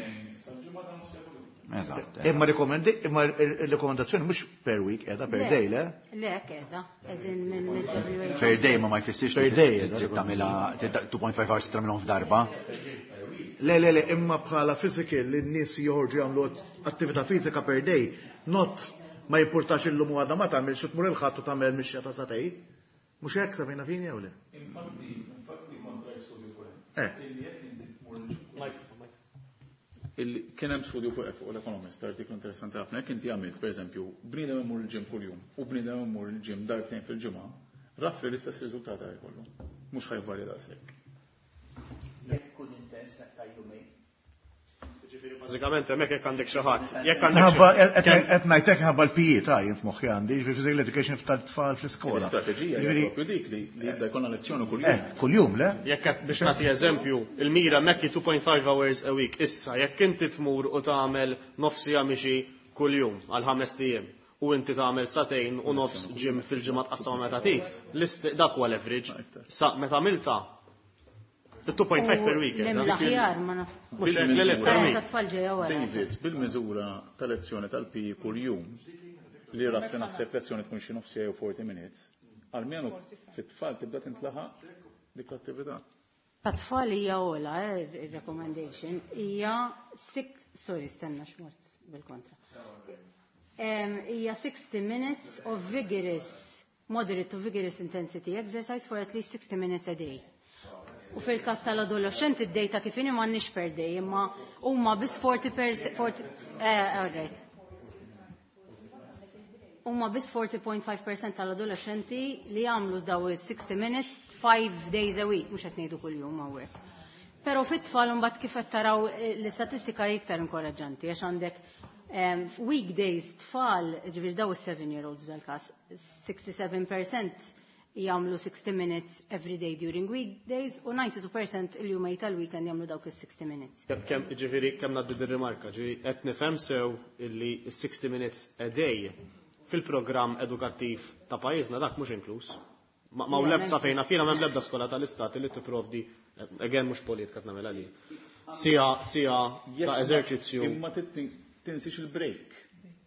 Eżatt. Imma rekomendi, imma il-rekomendazzjoni mhux per week, qiegħda per Le. day, le? Le, qiegħda, as in minn minn W H O. Per day ma ma jfissirx Per li day, trid tagħmilha two point five hours tagħmilhom f'darba. Le, le, le, imma bħala physical li n-nies joħorġu jagħmlu attività fiżika per day, not ma jimpurtax illum u għada ma tagħmel xi tmur il-Ħadd u tagħmel mixja ta' sagħtejn. Mhux hekk ta' fejna fini jew le? Infatti, infatti kontra studju fuq Eh. Illi jekk inti tmur il kien hemm studju fuq fuq l-Economist, artiklu interessanti ħafna, jekk inti għamilt, pereżempju, bniedem imur il-gym kuljum u bniedem imur il-gym darbtejn fil-ġimgħa, roughly l-istess riżultat jkollu. Mhux ħa jvarja daqshekk. Jekk ikun intens ta' jumejn. Ġifieri bażikament hemmhekk jekk għandek xi ħadd, jekk għandek Ħabba, xi- qed ngħidlek ħabba l-P E ta' jien f'moħħi għandi, ġifieri physical education tal-tfal fl-iskola. L-istrateġija hija Ġifieri, propju dik li li jibda jkollna lezzjoni kuljum. Eh, kuljum, le? Jekk qed biex nagħti eżempju, il-mira hemmhekk hi two point five hours a week. Issa, jekk inti tmur u tagħmel nofsija mixi kuljum għal ħames ijiem u inti tagħmel sagħtejn u nofs gym fil-ġimgħa tqassam meta tit, list dak huwa l-average. Sa meta għamilta two point five per week. Lem l-aħjar, ma naf. Mhux hekk, le, le, per Eh, week. Ta' tfal ġejja wara. David, bil-miżura ta' lezzjoni tal-P E kuljum, li roughly naħseb lezzjoni tkun xi nofs jew forty minutes, almenu fit-tfal tibda tintlaħaq dik l-attività. Ta' tfal hija ola, eh, il-recommendation, hija six, sorry, stenna xmort bil-kontra. Em, Hija sixty minutes of vigorous, moderate to vigorous intensity exercise for at least sixty minutes a day. U fil-kas tal-adolescenti id-data kif inhi m'għandniex per day, imma huma biss forty per forty, eh, all right. Huma biss forty point five percent tal-adolescenti li jagħmlu daw il-sixty minutes five days a week, mhux qed ngħidu kuljum hawnhekk. Però fit-tfal imbagħad kif qed taraw eh, l-istatistika hi iktar inkoraġġanti għax għandek em, weekdays tfal, ġifieri daw is-seven year olds dal-każ, sixty-seven percent jagħmlu sixty minutes every day during weekdays u ninety-two percent il-jumej tal-weekend jagħmlu dawk is-sixty minutes. Kemm kemm ġifieri kemm ngħaddi dir-rimarka, ġifieri qed nifhem sew illi sixty minutes a day Fil-programm edukattiv ta' pajjiżna dak mhux inkluż. Ma ma lebsa fejna fina m'hemm l-ebda skola tal-istat li tipprovdi, again mhux politika tnagħmel għalih. Sija sija ta' eżerċizzju. Imma tinsiex il-break.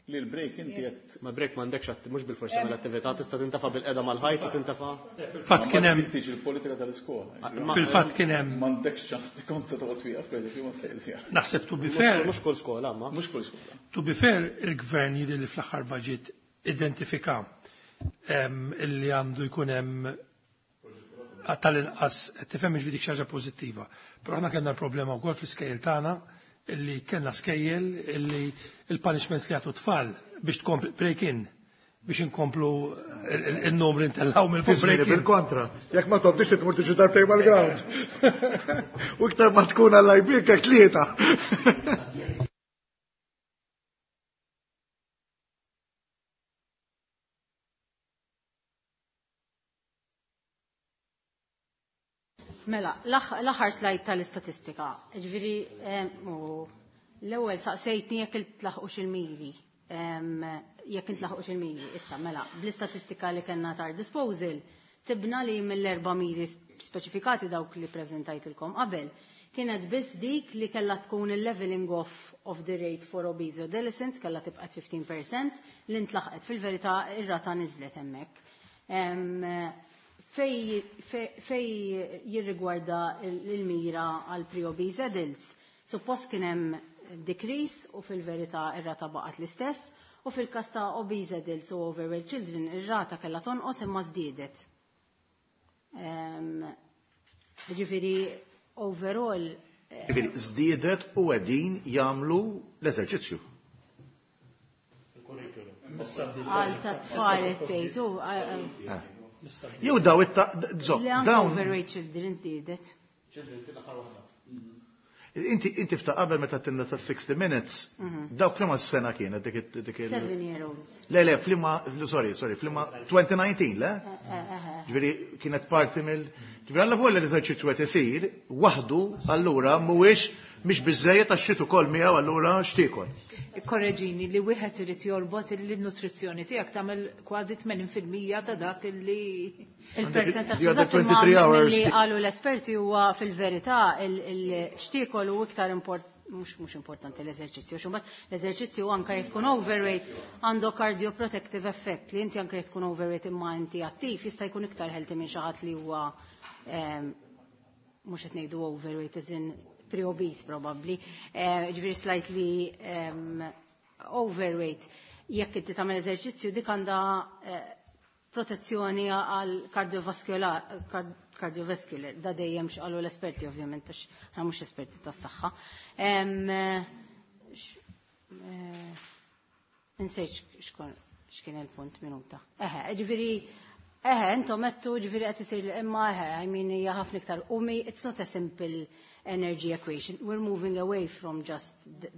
Li l-break inti qed. Ma break m'għandekx mhux bil-forsi mill-attività tista' tintafa' bil-qeda mal-ħajt u tintafa'. Fil-fatt kien hemm tiġi l-politika tal-iskola. Fil-fatt kien hemm m'għandekx ċans tikont se toqgħod wieqaf pereżempju ma tlejl. Naħseb to be fair. Mhux kull skola ma. Mhux kull skola. To be fair, il-gvern jidher li fl-aħħar budget identifika illi għandu jkun hemm tal-inqas tifhem ġifieri dik xi ħaġa pożittiva. Però aħna kellna l-problema wkoll fl-iskejjel tagħna illi kellna skejjel illi il-punishments li għatu tfal biex tkompli break in biex inkomplu il-numri ntellaw mill-fuq break in. Bil-kontra, jekk ma tobdix tmur tiġi darbtejn mal-ground. U iktar ma tkun għall-ajbik hekk tlieta. Mela, l-aħħar slide tal-istatistika. Ġifieri, l-ewwel saqsejtni jekk intlaħqux il-miri. Jekk intlaħqux il-miri, issa mela, bl-istatistika li kellna tar disposal, sibna li mill-erba' miri speċifikati dawk li preżentajtilkom qabel, kienet biss dik li kellha tkun il-leveling off of the rate for obese adolescents kellha tibqa' fifteen percent li ntlaħqet fil-verità ir-rata niżlet hemmhekk. Fej, fej jirrigwarda l-mira għal pre-obese adults, suppost kien hemm decrease u fil-verità ir-rata baqgħet l-istess, u fil-każ ta' obese adults u overweight children ir-rata kellha tonqos imma żdiedet. Ġifieri overall. Ġifieri żdiedet u qegħdin jagħmlu l-eżerċizzju. Għal ta' tfal tgħidu. Jew daw it-ta' dawn. Overweight children żdiedet. Inti inti fta' qabel meta tinna ta' sixty minutes, dawk flima s-sena kienet dik dik il. Seven year olds. Le le flima sorry sorry flima twenty nineteen le? Ġifieri kienet parti mill ġifieri alla volja l-eżerċizzju qed isir waħdu allura mhuwiex mhix biżejjed għax xi ukoll miegħu allura x'tiekol. Ikkorreġini li wieħed irid jorbot il-nutrizzjoni tiegħek tagħmel kważi tmenin fil-mija ta' dak li il-percentaġġ li qalu l-esperti huwa fil-verità il-xtiekol u iktar import mhux mhux importanti l-eżerċizzju, xi mbagħad l-eżerċizzju anke jekk tkun overweight għandu cardioprotective effect li inti anke jekk tkun overweight imma inti attiv jista' jkun iktar healthy minn xi ħadd li huwa mhux qed ngħidu overweight as in pre-obese probably, ġifieri slightly overweight. Jekk inti tagħmel eżerċizzju dik għandha protezzjoni għal cardiovascular, cardiovascular, da dejjem x'qalu l-esperti ovvjament għax aħna mhux esperti tas-saħħa. Insejt x'kien il-punt minuta. Eħe, ġifieri eħe, intom għedtu ġifieri qed isir imma eħe, I mean hija ħafna iktar umi, it's not a simple energy equation. We're moving away from just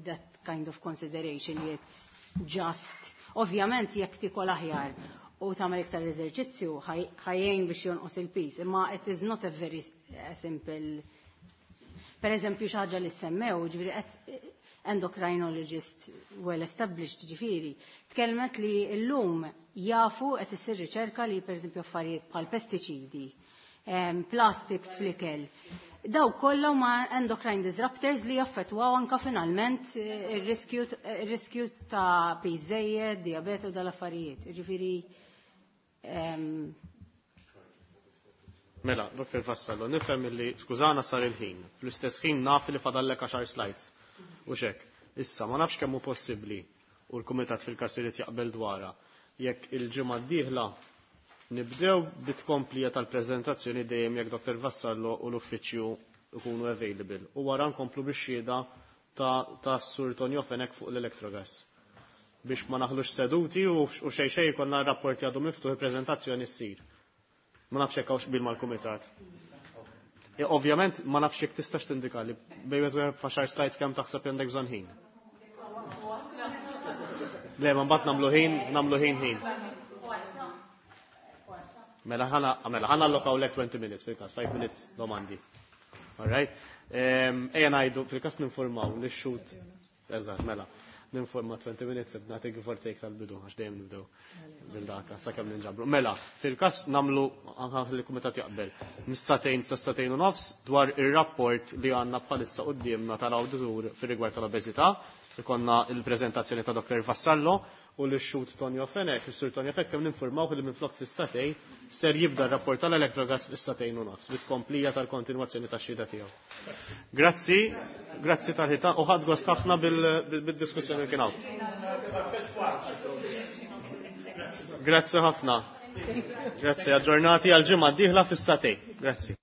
that kind of consideration, it's just, ovvjament jekk tikol aħjar u tagħmel iktar eżerċizzju ħajjejn biex jonqos il-pis, imma it is not a very simple. Per eżempju xi ħaġa li semmew, ġifieri qed endocrinologist well established ġifieri, tkellmet li llum jafu qed issir riċerka li pereżempju affarijiet bħal pestiċidi, plastics fl-ikel, daw kollha huma endocrine disruptors li jaffettwaw anka finalment ir-riskju ta' piż żejjed, diabete u dal-affarijiet. Ġifieri Mela, Doktor Vassallo, nifhem illi skużana sar il-ħin. Fl-istess ħin naf li fadallek għaxar slides. U xek, issa ma nafx kemm hu possibbli u l-kumitat fil-każ irid jaqbel dwarha. Jekk il-ġimgħa d-dieħla nibdew bit-tkomplija tal-preżentazzjoni dejjem jekk Doktor Vassallo u l-uffiċċju ikunu available. U wara nkomplu bix-xhieda ta', ta Sur Tonio Fenech fuq l-Electrogas. Biex ma naħlux seduti u xej xej konna rapporti għadu miftuħ il-preżentazzjoni ssir. Ma nafx hekk hawnx qbil mal-kumitat. E, ovvjament ma nafx jekk tistax tindika li bejn wieħed u faxar slides kemm taħseb għandek bżonn ħin. Le, ma mbagħad nagħmlu ħin, nagħmlu ħin ħin. Mela ħana, mela ħana allokaw lek twenty minutes fil-każ, five minutes domandi. All right? Ejja ngħidu fil-każ ninformaw li x-xut. Eżatt, mela. Ninforma twenty minutes b'nagħti give or take tal-bidu għax dejjem nibdew bil-daka sakemm ninġabru. Mela, fil-każ nagħmlu anke li kumitat jaqbel mis-sagħtejn sa sagħtejn u nofs dwar ir-rapport li għandna bħalissa quddiemna tal-awditur fir-rigward tal-obeżità. Ikonna il-preżentazzjoni ta' Doktor Vassallo u l-xhud Tonio Fenech, is-Sur Tonio Fenech kemm ninformaw li minflok fis-sagħtejn ser jibda r-rapport tal-Electrogas fis-sagħtejn u nofs bit-komplija tal-kontinwazzjoni tax-xhieda tiegħu. Grazzi, grazzi tal-ħita u ħadd gost ħafna bil-diskussjoni kien hawn. Grazzi ħafna. Grazzi, aġġornati għal ġimgħa d-dieħla fis-sagħtejn. Grazzi.